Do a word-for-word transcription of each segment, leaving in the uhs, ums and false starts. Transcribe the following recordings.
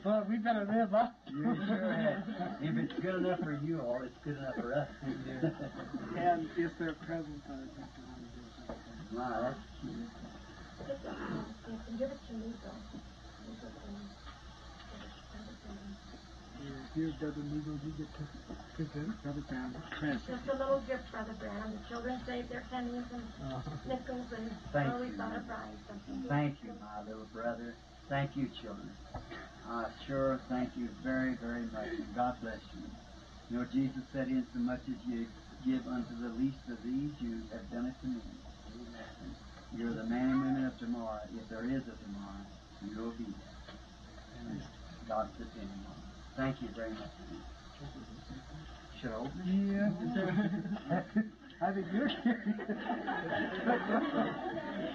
Well, we better live, huh? You sure have. If it's good enough for you all, it's good enough for us. And it's their presence that I think we want to do something. Wow, that's cute. Just, uh, give it to me, though. Give it to me. Here, here, Brother Negro, you get to present Brother Brown the present. Just a little gift, Brother Brown. The children saved their pennies and nickels and Thank you. Thought of buying something. Thank you, my little brother. Thank you, children. I sure thank you very, very much, and God bless you. You know, Jesus said, "Insomuch as you give unto the least of these, you have done it to me." You're the man and women of tomorrow. If there is a tomorrow, you will be there. God's depending on you. Thank you very much. Should I open it? Yeah. I think you're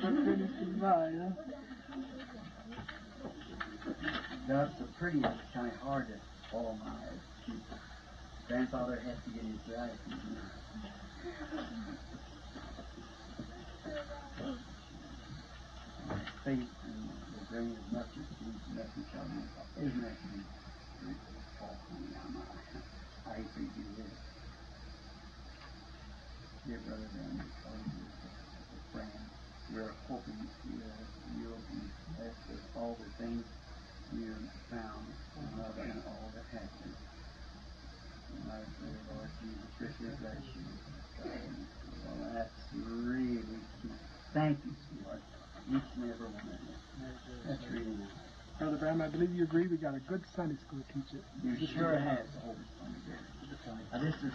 Finish goodbye, huh? That's the prettiest. It's kind of hard to, oh my, grandfather has to get his glasses. Faith and will bring as much as these message on me. Isn't that beautiful? Oh, honey, I'm, I hate to do this. Dear Brother Randy, call you as a friend. We're hoping you, you'll be blessed with all the things you found and love and all that happened. And I pray, Lord Jesus, richly bless you. Well, that's really cute. Thank you, sweetheart. Each and every one of you. That's really nice. Brother Brown, I believe you agree we got a good Sunday school teacher. You sure have. Oh, now, this is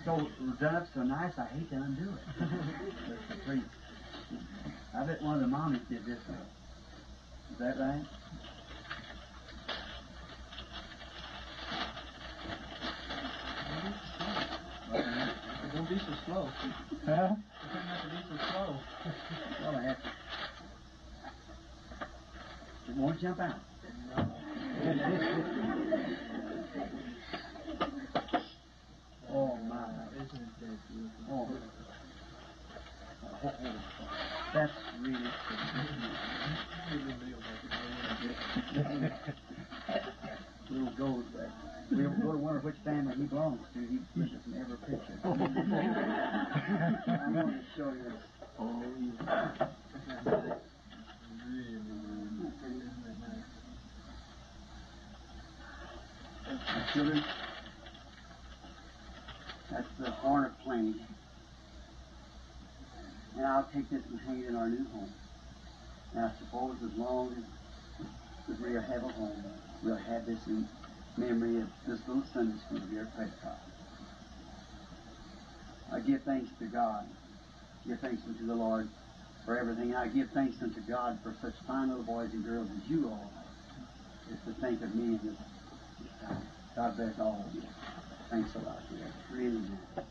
so done up so nice, I hate to undo it. Please. I bet one of the mommies did this one. Is that right? Don't be so slow. Huh? You don't have to be so slow. Well, I have to. It won't jump out. Oh, my. Isn't that beautiful? Oh. Oh, that's really Little gold. We'll go to wonder which family he belongs to. He gives us an every picture. I want to show you this. Oh, yeah. Really, really. Children, that's the horn of plenty. And I'll take this and hang it in our new home. And I suppose as long as, as we have a home, we'll have this in memory of this little Sunday school here at Prescott. I give thanks to God. Give thanks unto the Lord for everything. I give thanks unto God for such fine little boys and girls as you all are. Just to think of me in this time. God bless all of you. Thanks a lot, dear. Really nice.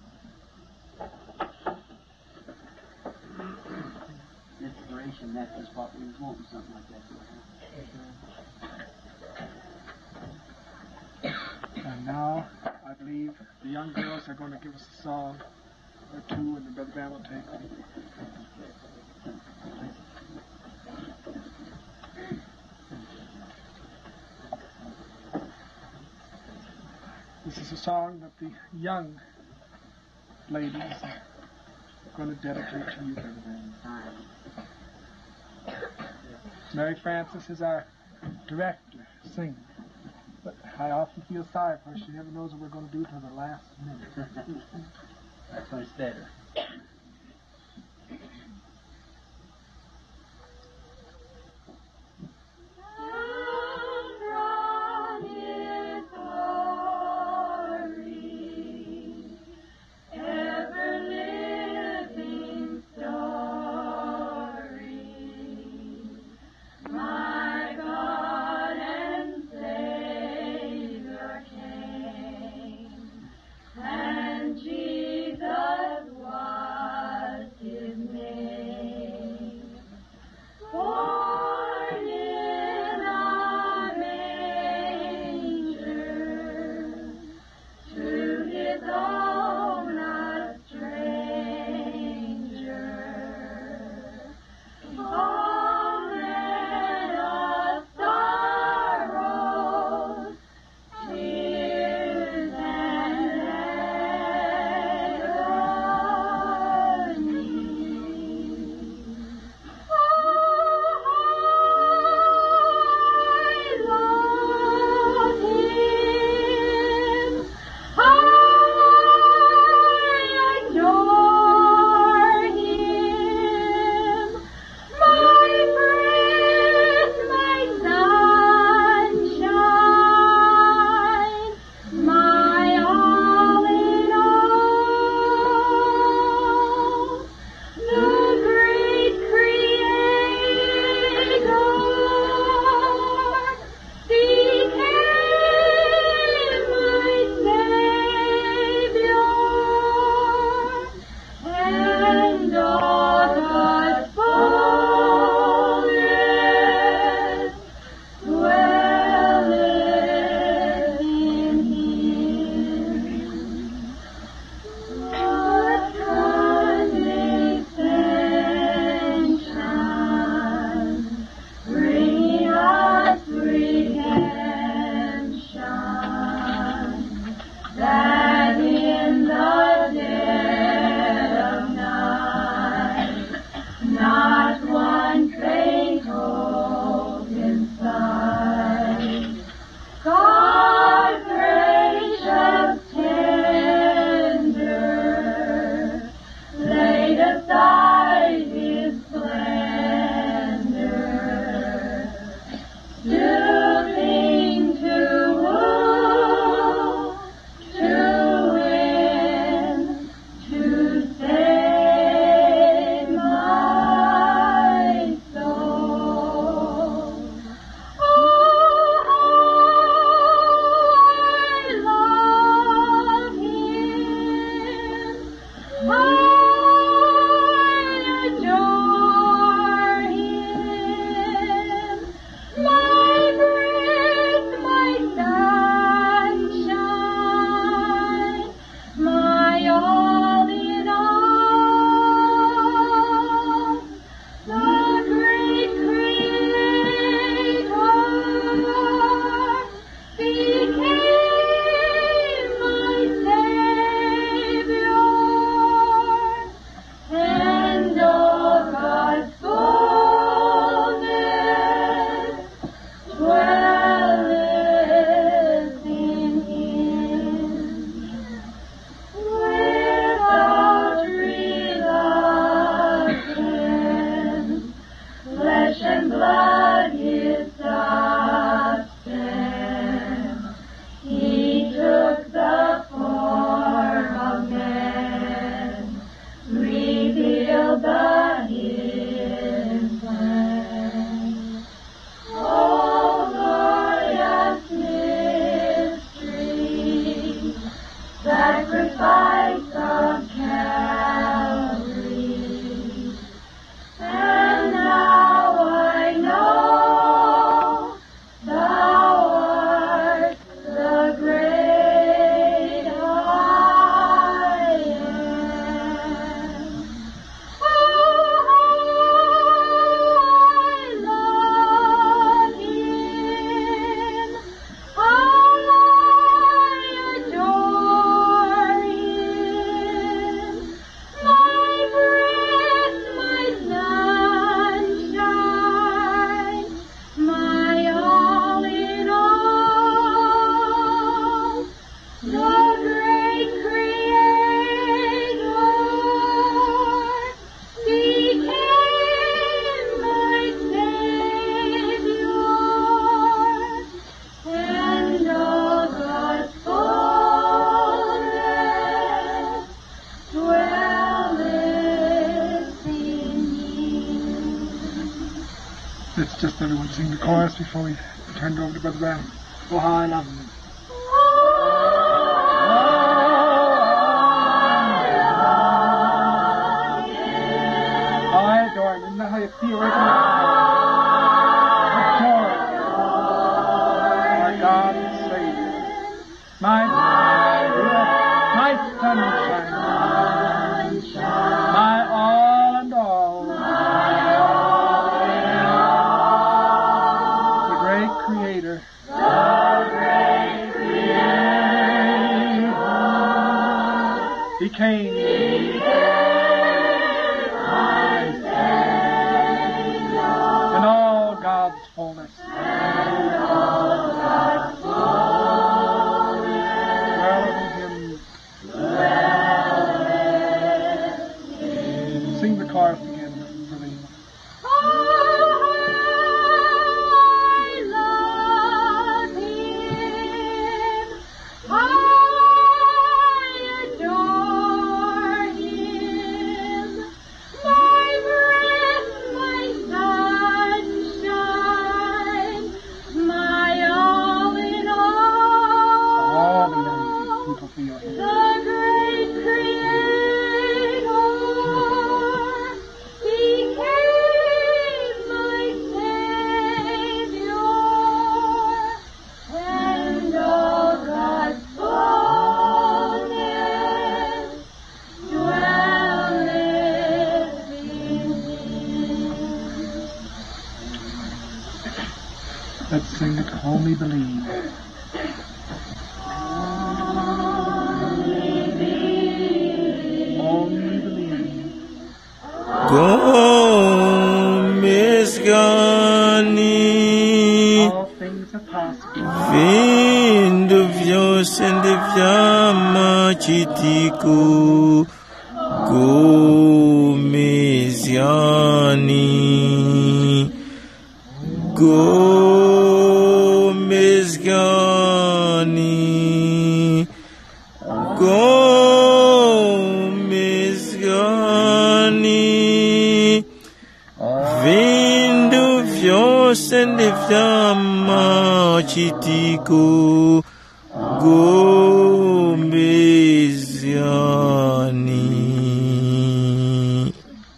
Inspiration, that is what we was wanting, something like that to happen. And now, I believe the young girls are going to give us a song or two, and then Brother Brown will take them. This is a song that the young ladies are going to dedicate to you, Brother Brown. Mary Frances is our director, singer. But I often feel sorry for her. She never knows what we're going to do till the last minute. That's when it's better. the hidden plan. Oh, glorious mystery, sacrifice of Calvary. And now I know Thou art the great I am. Oh, how I love him. How I adore him. My breath, my sunshine, my all in all, the great Creator became my Savior, and all God's fullness dwelleth in me. Let's just everyone sing the chorus before we turn it over to Brother Brown. Oh, how I love you. I adore you. Isn't that how you feel right now? Adore you. My God and Savior. My, my sunshine. My all and all. The great Creator. He came. And all God's fullness. Dwell in him. Sing the chorus again, Brother Enoch. I love him. I adore him. My breath, my sunshine, my all in all. All the young people feel him. The great Creator became my Savior, and all God's fullness dwelleth in me. Let's sing it, Only Believe. Only Believe. Gomezgani. All things are possible. Vindu vyose ndi vya machitiko. Gomezgani. Gomezgani. Gomezgani. Vindu vyose ndi vya machitiko. Gomezgani.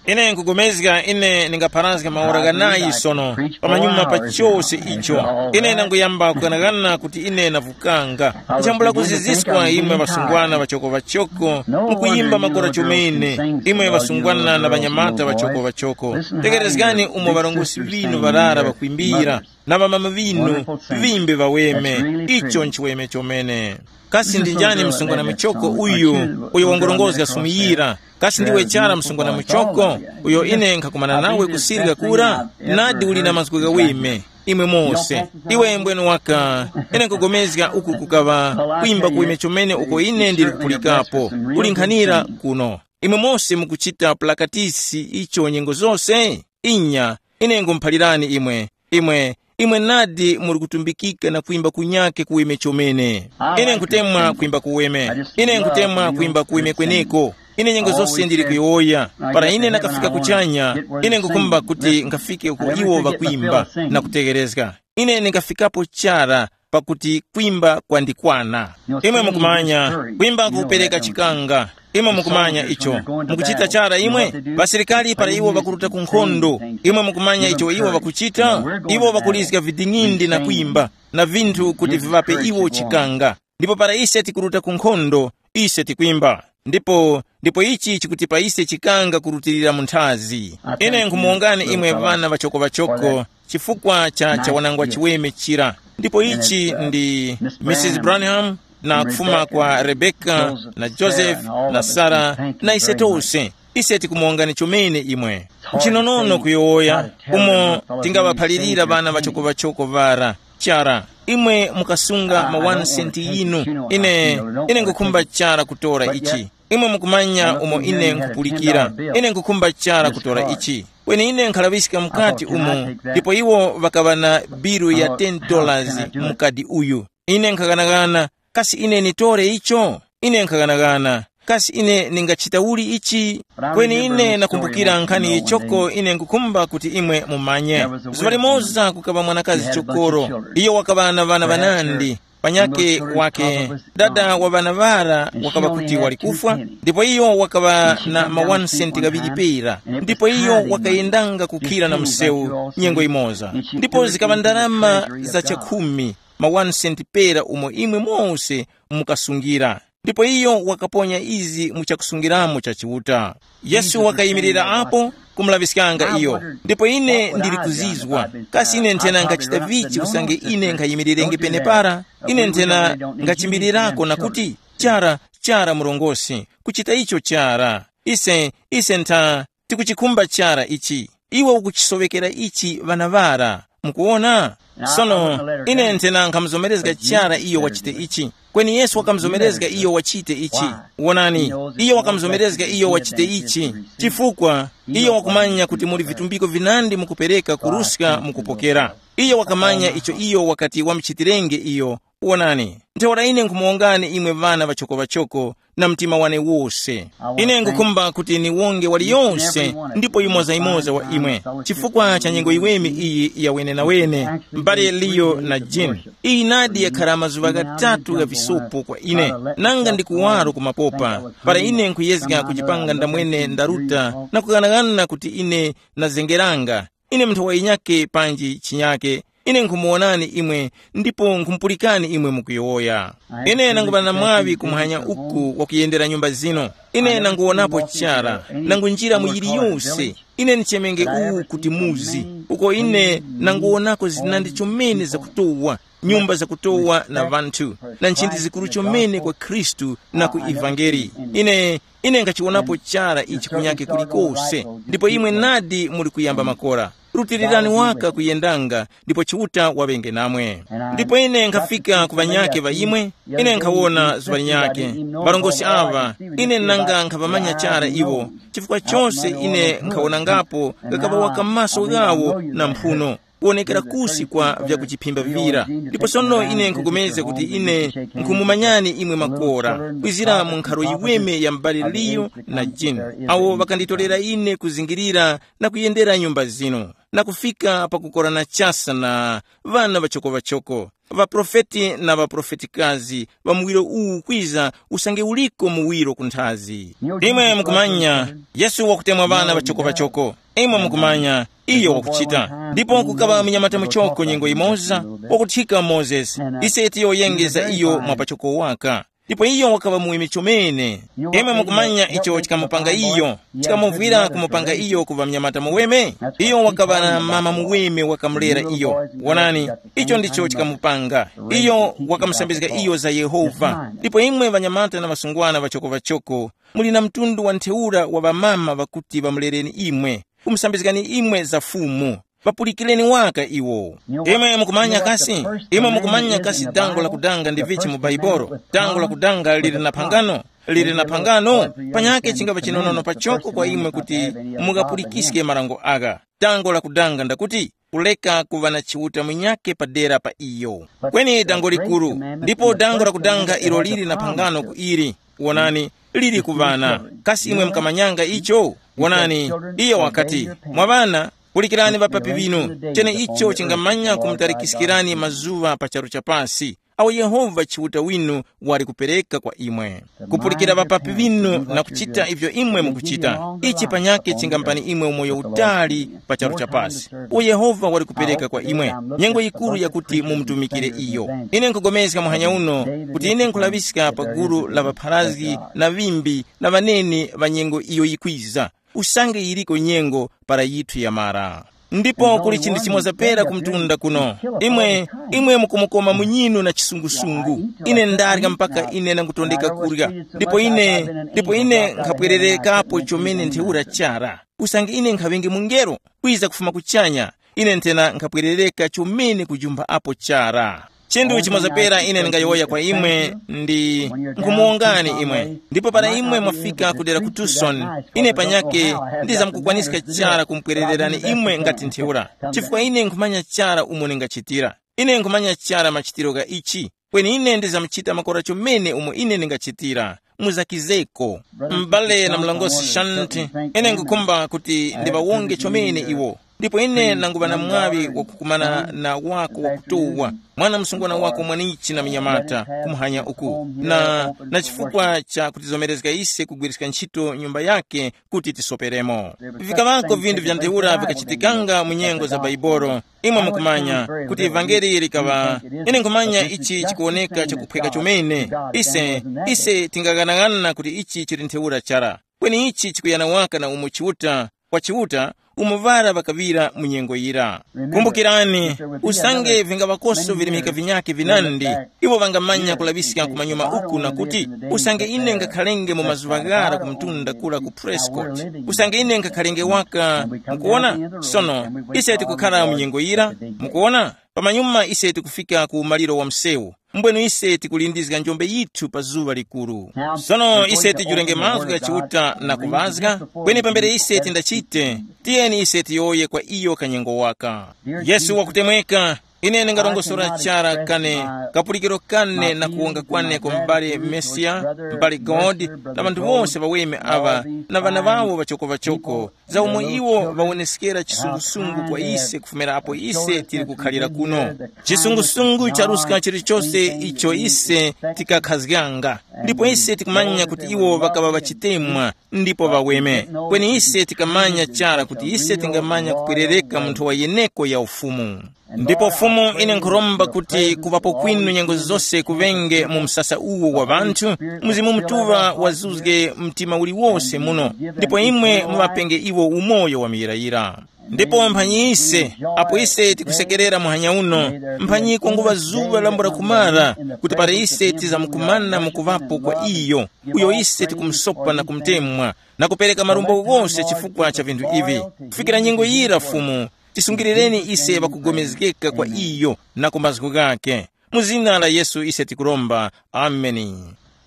Ine nkugomezga ine ndingapharazge maora ghanayi sono, pamanyuma pa chose icho. Ine ndanguyamba kughanaghana kuti ine navukanga. Nchambula kuziziskwa imwe ŵasungwana ŵachoko-ŵachoko, mukuyimba makora chomene, imwe ŵasungwana na ŵanyamata ŵachoko-ŵachoko. Tekerezgani umo ŵarongozgi ŵinu ŵarara ŵakwimbira, na ŵamama ŵinu, ŵimbe ŵaweme. Icho nchiweme chomene. Kasi ndi njani msungwana muchoko uyu, uyo wangurongozga sumu yira? Kasi ndiwe chara msungwana muchoko, uyo ine nkhakumana nawe kusirika kura? Nadi uli na mazgu ghaweme, imwe mose. Iwe mbwene waka, ine nkugomezga uku kukaŵa kwimba kuweme chomene uko ine ndili kupulikapo. Kuli nkhanira kuno. Imwe mose mukuchita pulakatisi icho nyengo zose? Inya, ine ngumuphalirani imwe, imwe, imwe nadi muli kutumbikika na kwimba kunyake kuweme chomene. Ine nkutemwa kwimba kuweme. Ine nkutemwa kwimba kuweme kweneko. Ine nyengo zose ndili kuyowoya. Para ine nakafika kuchanya, ine ngukhumba kuti ngafike uko iwo ŵakwimba na kutegherezga. Ine ndingafikapo chara pakuti kwimba kwandikwana. Imwe mukumanya, kwimba kupereka chikanga. Imwe mukumanya icho. Mukuchita chara imwe? Pasilikali para iwo ŵakuruta ku nkhondo, imwe mukumanya icho iwo ŵakuchita? Iwo ŵakulizga viding'indi na kwimba na vinthu kuti viŵape iwo chikanga. Ndipo para ise tikuruta ku nkhondo, ise tikwimba. Ndipo ndipo ichi chikutipa ise chikanga kurutilira mu nthazi. Ine nkhumuwongani imwe ŵana ŵachoko-ŵachoko chifukwa cha chawanangwa chiweme chira. Ndipo ichi ndi Mrs Branham, na kufuma kwa Rebeka na Joseph na Sara, na ise tose, ise tikumuwongani chomene imwe. Nchinonono kuyowoya umo tingaŵaphalirira ŵana ŵachoko-ŵachoko ŵara. Chara, imwe mukasunga ma one cent yinu. Ine ine ngukhumba chara kutora ichi. Imwe mukumanya umo ine nkhupulikira. Ine ngukhumba chara kutora ichi. Kweni ine nkhalaŵiska mukati umo, ndipo iwo ŵakaŵa na biru ya ten dollars mu kadi uyu. Ine nkhaghanagana, kasi ine nitore icho? Ine nkhaghanagana, kasi ine ningachita uli ichi? Kweni ine nakumbukira nkhani yichoko ine nkukhumba kuti imwe mumanye. Zuŵa limoza kukaŵa mwanakazi chokoro. Iyo wakaŵa na ŵana ŵanandi. Panyake wake, dada wa ŵana ŵara wakaŵa kuti wali kufwa, ndipo iyo wakaŵa na ma one cent ghaŵiri pera. Ndipo iyo wakayendanga kukhira na msewu nyengo imoza, ndipo zikaŵa ndarama za chakhumi, ma one cent pera umo imwe mose mukasungira. Ndipo iyo wakaponya izi mu chakusungiramo cha Chiuta. Yesu wakayimirira apo kumulaŵiskanga iyo. Ndipo ine ndili kuzizwa, kasi ine nthena ngachita vichi usange ine nkhayimirerenge penepara? Ine nthena ngachimbirirako na kuti, chara, chara murongose, kuchita icho chara. Ise ise ntha tikuchikhumba chara ichi. Iwe ukuchisoŵekera ichi ŵana ŵara. Mukuwona? Sono ine nthena nkhamuzomerezga chara iyo wachite ichi. Kweni Yesu wakamuzomerezga iyo wachite ichi. Wonani, iyo wakamuzomerezga iyo wachite ichi. Chifukwa iyo wakumanya kuti muli vitumbiko vinandi mukupereka kuruska mukupokera. Iyo wakamanya icho iyo wakati wamuchitirenge iyo. Wonani, ntheura ine nkhumuwongani imwe ŵana ŵachoko-ŵachoko, na mtima wane wose. Ine ngukhumba kuti niwonge waliyonse ndipo yimoza-yimoza wa imwe, chifukwa cha nyengo yiweme iyi ya wenenawene, mbale Liyo na Jini. Iyi nadi yakhara mazuŵa ghatatu gha visopo kwa ine, nanga ndi kuwaro kumapopa, para ine nkhuyezga kuchipanga ndamwene ndaruta na kughanagana kuti ine nazengeranga. Ine munthu wa yinyake panji chinyake, ine nkhumuwonani imwe, ndipo nkhumupulikani imwe mukuyowoya. Ine nanguŵa na mwaŵi kumuhanya uku wakuyendera nyumba zino. Ine nanguwonapo chara, nangunjira mu yiliyose. Ine ndichemenge uwu kuti muzi, uko ine nanguwonako zinandi chomene zakutowa, nyumba zakutowa na ŵanthu, na nchindi zikuru chomene kwa Khristu na ku ivangeli. Ine ine ngachiwonapo chara ichi kunyake kulikose. Ndipo imwe nadi muli kuyamba makora. Rutirirani waka kuyendanga, ndipo Chiuta waŵenge namwe. Ndipo ine nkhafika ku ŵanyake ŵa imwe, ine nkhawona zuŵa linyake, ŵarongozgi aŵa, ine nanga nkhaŵamanya chara iwo, chifukwa chose ine nkhawonangapo gakaŵa waka maso ghawo na mphuno, kuwonekera kusi kwa vyakuchiphimba vira. Ndipo sono ine nkhupulikana kuti ine nkhumumanyani imwe makora, kwizira mu nkharo yiweme ya m'bale Liyo na Jini, awo ŵakanditorera ine kuzingirira na kuyendera nyumba zinu, na kufika pakukorana chasa na ŵana ŵachoko-ŵachoko, ŵaprofeti na ŵaprofetikazi ŵa muwiro uwu kwiza usange uliko muwiro ku nthazi. Imwe mukumanya, Yesu wakutemwa ŵana ŵachoko-ŵachoko. Imwe mukumanya, iyo wakuchita. Ndipo kukaŵa munyamata muchoko nyengo yimoza, wakuthika Mozesi, ise tiyoyenge za iyo mwa pachoko waka. Ndipo iyo wakaŵa muweme chomene. Imwe mukumanya icho chikamupanga iyo, chikamuvwira kumupanga iyo kuŵa munyamata muweme? Iyo wakaŵa na mama muweme wakamulera iyo. Wonani, icho ndicho chikamupanga. Iyo wakamusambizga iyo za Yehova. Ndipo imwe ŵanyamata na ŵasungwana ŵachoko-ŵachoko, muli na mtundu wa ntheura wa ŵamama ŵakuti ŵamulereni imwe, kumusambizgani imwe za Fumu. Ŵapulikireni waka iwo. Imwe mukumanya kasi? Imwe mukumanya kasi dango la kudanga ndi vichi mu Baibolo? Dango la kudanga lili na phangano? Lili na phangano? Panyake chingapa chinonono pachoko kwa imwe kuti mukapulikiske marango agha. Dango la kudanga ndakuti, kuleka kuŵa na Chiuta munyake padera pa iyo. Kweni dango likuru, ndipo dango la kudanga ilo lili na phangano ku ili. Wonani, lili ku ŵana. Kasi imwe mukamanyanga icho? Wonani, iyo wakati, mwa ŵana, pulikirani ŵapapi ŵinu, chene icho chingamanya kumutarikiskirani mazuŵa pa charu cha pasi. Awo Yehova Chiuta winu wali kupereka kwa imwe. Kupulikira ŵapapi ŵinu na kuchita ivyo imwe mukuchita, ichi panyakhe chingamupani imwe umoyo utali pa charu cha pasi. Uwo Yehova wali kupereka kwa imwe nyengo yikuru yakuti mumutumikire iyo. Ine nkhupulikana muhanya uno kuti ine nkhulaŵiska pa gulu la ŵapharazgi na ŵimbi na ŵaneni ŵa nyengo iyo yikwiza, usange yiriko nyengo para yithu yamara. Ndipo kuli chinthu chimoza pera ku mtunda kuno. Imwe, imwe mukumukoma munyinu na chisungusungu. Ine ndarya mpaka ine nangutondeka kurya. Ndipo ine, ndipo ine nkhapwererekapo chomene ntheura chara. Usange ine nkhaŵenge mungelo kwiza kufuma kuchanya, ine nthena nkhapwerereka chomene kujumba apo chara. Chinthu chimoza pera ine ndingayowoya kwa imwe ndi nkhumuwongani imwe, ndipo para imwe mwafika kudera ku Tucson, ine panyake ndizamkukwaniska chara kumpwerererani imwe ngati ntheura, chifukwa ine nkhumanya chara umo ningachitira. Ine nkhumanya chara machitiro gha ichi, kweni ine ndizamuchita makora chomene umo ine ndingachitira. Muzakizeko. M'bale na mlongosi Shanti, ine nkukhumba kuti ndiŵawonge chomene iwo. Ndipo ine nanguŵa na mwaŵi wakukumana na wako wakutowa, mwana msungwana wako mwanichi na munyamata, kumuhanya uku na, na chifukwa cha kutizomerezga ise kugwiriska ntchito nyumba yake kuti tisoperemo. Vikaŵako vinthu vya ntheura vikachitikanga mu nyengo za Baibolo. Imwe mukumanya kuti evangeli likaŵa, ine nkhumanya ichi chikuwoneka chakuphweka chomene. Ise, ise tingaghanaghanana kuti ichi chili ntheura chara, kweni ichi chikuyana waka na umo Chiuta, kwa Chiuta, umo ŵara ŵakaŵira mu nyengo yira. Kumbukirani, usange vingaŵakoso virimika vinyakhe vinandi, iwo ŵangamanya kulaŵiska kumanyuma uku na kuti, usange ine ngakhalenge mu mazuŵa ghara ku mtunda kura ku Prescott, usange ine ngakhalenge waka, mukuwona? Sono, ise tikukhara mu nyengo yira, mukuwona? Pamanyuma ise tikufika ku maliro wa msewu. Mbwenu ise tikulindizga njombe yithu pa zuŵa likuru. Sono ise tijurenge mazgu gha Chiuta na kuŵazga, kweni pambere ise tindachite, tiyeni ise tiyowoye kwa iyo kanyengo waka. Yesu wakutemweka, ine ndingarongosora chara kane kapulikiro kane na kuwonga kwane kwa m'bale Mesiya, m'bale God, na ŵanthu wose ŵaweme aŵa na ŵana ŵawo ŵachoko-ŵachoko, za umo iwo ŵawoneskera chisungusungu kwa ise kufumira apo ise tili kukhalira kuno. Chisungusungu charuska chilichose icho ise tikakhazganga, ndipo ise tikumanya kuti iwo ŵakaŵa ŵachitemwa ndipo ŵaweme. Kweni ise tikamanya chara kuti ise tingamanya kupwerereka mu nthowa yeneko ya Ufumu. Ndipo Fumu, ine nkhuromba kuti kuŵapo kwinu nyengo zose kuŵenge mu msasa uwo wa ŵanthu, Mzimu Mutuŵa wazuzge mtima uliwose muno, ndipo imwe muŵapenge iwo umoyo wa muyirayira. Ndipo mphanyi ise, apo ise tikusekerera muhanya uno, mphanyi kwanguŵa zuŵa lambula kumara, kuti para ise tizamkumana mu kuŵapo kwa iyo, uyo ise tikumusopa na kumutemwa, na kupereka marumbo ghose chifukwa cha vinthu ivi. Kufikira nyengo yira Fumu, tisungirireni ise ŵakugomezgeka kwa iyo na ku mazgu ghakhe. Mu zina la Yesu ise tikuromba. Ameni.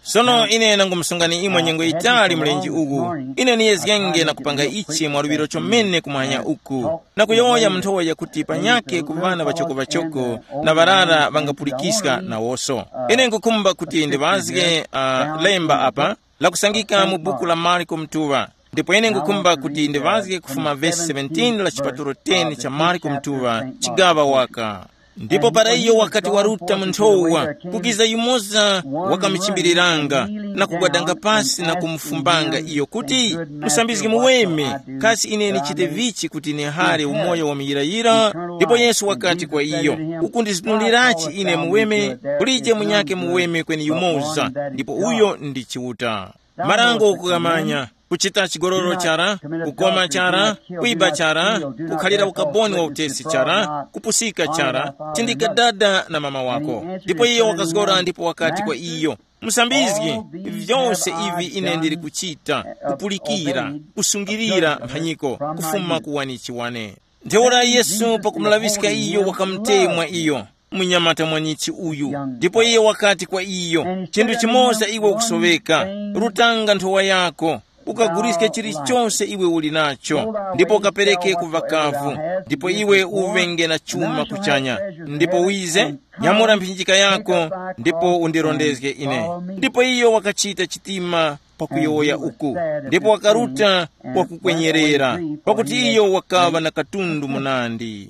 Sono ine nangumusungani imwe nyengo yitali mlenje uwu. Ine niyezgenge na kupanga ichi mwa luŵiro chomene kumwanya uku, na kuyowoya mu nthowa yakuti panyakhe ku ŵana ŵachoko-ŵachoko na ŵarara ŵangapulikiska nawoso. Ine nkukhumba kuti ndiŵazge uh, lemba apa lakusangika mu buku la Marko Mtuŵa. Ndipo ine nkukhumba kuti ndiŵazge kufuma vesi seventeen la chipatulo ten cha Marko Mtuŵa, chigaŵa waka. Ndipo para iyo wakati waruta mu nthowa, kukiza yumoza wakamuchimbiriranga na kugwadanga pasi na kumufumbanga iyo kuti, musambizgi muweme, kasi ine ndichite vichi kuti nihare umoyo wa muyirayira? Ndipo Yesu wakati kwa iyo, ukundizunulirachi ine muweme? Kulije munyakhe muweme kweni yumoza, ndipo uyo ndi Chiuta. Marango ukughamanya, kuchita chigololo chara, kukoma chara, kwiba chara, kukhalira ukaboni wa utesi chara, kupusika chara, tindika dada na mama wako. Ndipo iyo wakazgora ndipo wakati kwa iyo, musambizgi, vyose ivi ine ndili kuchita, kupulikira, kusungirira mphanyiko, kufuma ku wanichi wane. Ntheura Yesu pakumulaŵiska iyo wakamutemwa iyo, munyamata mwanichi uyu. Ndipo iye wakati kwa iyo, chinthu chimoza iwe ukusoweka, rutanga nthowa yako, ukaguliske chilichonse iwe uli nacho, ndipo ukapereke ku ŵakavu, ndipo iwe uŵenge na chuma kuchanya. Ndipo wize, nyamura mphinjika yako, ndipo undirondezge ine. Ndipo iyo wakachita chitima pakuyowoya uku, ndipo wakaruta kwakukwenyerera, pakuti iyo wakaŵa na katundu munandi.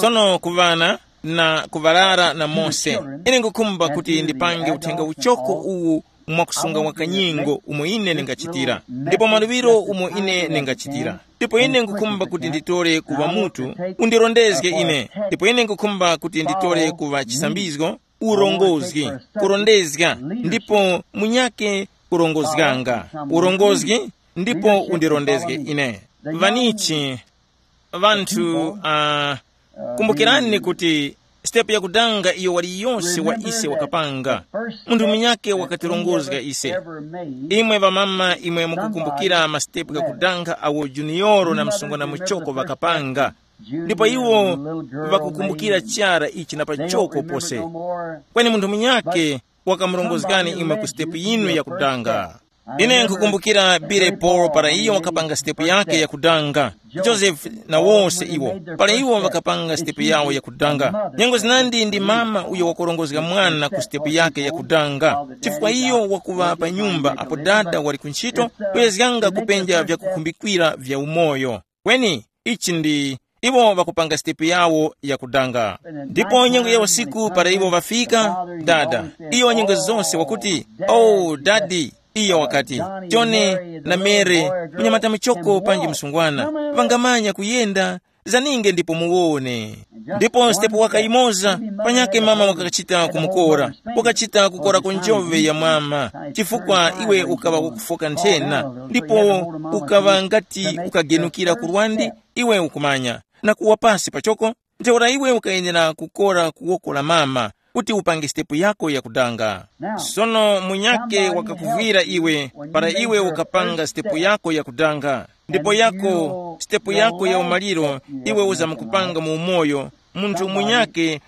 Sono ku ŵana na kuŵarara na mose, ine ngukhumba kuti ndipange uthenga uchoko uwu mwakusunga wa kanyengo umo ine ndingachitira, ndipo maluŵiro umo ine ndingachitira. Ndipo ine ngukhumba kuti nditore kuva mutu, undirondezge ine. Ndipo ine ngukhumba kuti nditore kuva chisambizgo, urongozgi, kurondezga, ndipo munyake kurongozganga, urongozgi, ndipo undirondezge ine. Vanichi vanthu uh, kumbukirani kuti sitepu yakudanga iyo waliyonse wa ise wakapanga, munthu munyake wakatirongozga ise. Imwe ŵamama, imwe mukukumbukira masitepu ghakudanga awo Juniyoro na msungwana muchoko ŵakapanga, ndipo iwo ŵakukumbukira chara ichi na pachoko pose. Kweni munthu munyake wakamurongozgani imwe ku sitepu yinu yakudanga. Ine nkukumbukira Billy Paul para iyo wakapanga sitepu yake yakudanga, Joseph na wose iwo, para iwo ŵakapanga sitepu yawo yakudanga. Nyengo zinandi ndi mama uyo wakurongozga mwana ku sitepu yake yakudanga, chifukwa iyo wakuŵa pa nyumba apo dada wali ku ntchito, kuyezganga kupenja vyakukhumbikira vya umoyo. Kweni ichi ndi iwo ŵakupanga sitepu yawo yakudanga. Ndipo nyengo ya usiku para iwo ŵafika, dada, iyo nyengo zonse wakuti, "Oh dadi," iyo wakati, "Jone na Mere, munyamata muchoko panji msungwana, ŵangamanya kuyenda, zaninge ndipo muwone." Ndipo sitepu waka imoza, panyake mama wakachita kumukora, wakachita kukora ku njove ya mama, chifukwa iwe ukaŵa wakufoka nthena, ndipo ukaŵa ngati ukagenukira ku lwandi, iwe ukumanya, na kuwa pasi pachoko. Ntheura iwe ukayenera kukora ku woko la mama kuti upange sitepu yako yakudanga. Sono munyake wakakuvwira iwe para iwe ukapanga sitepu yako yakudanga, ndipo yako sitepu yako ya umaliro iwe uzamkupanga mu umoyo, munthu munyake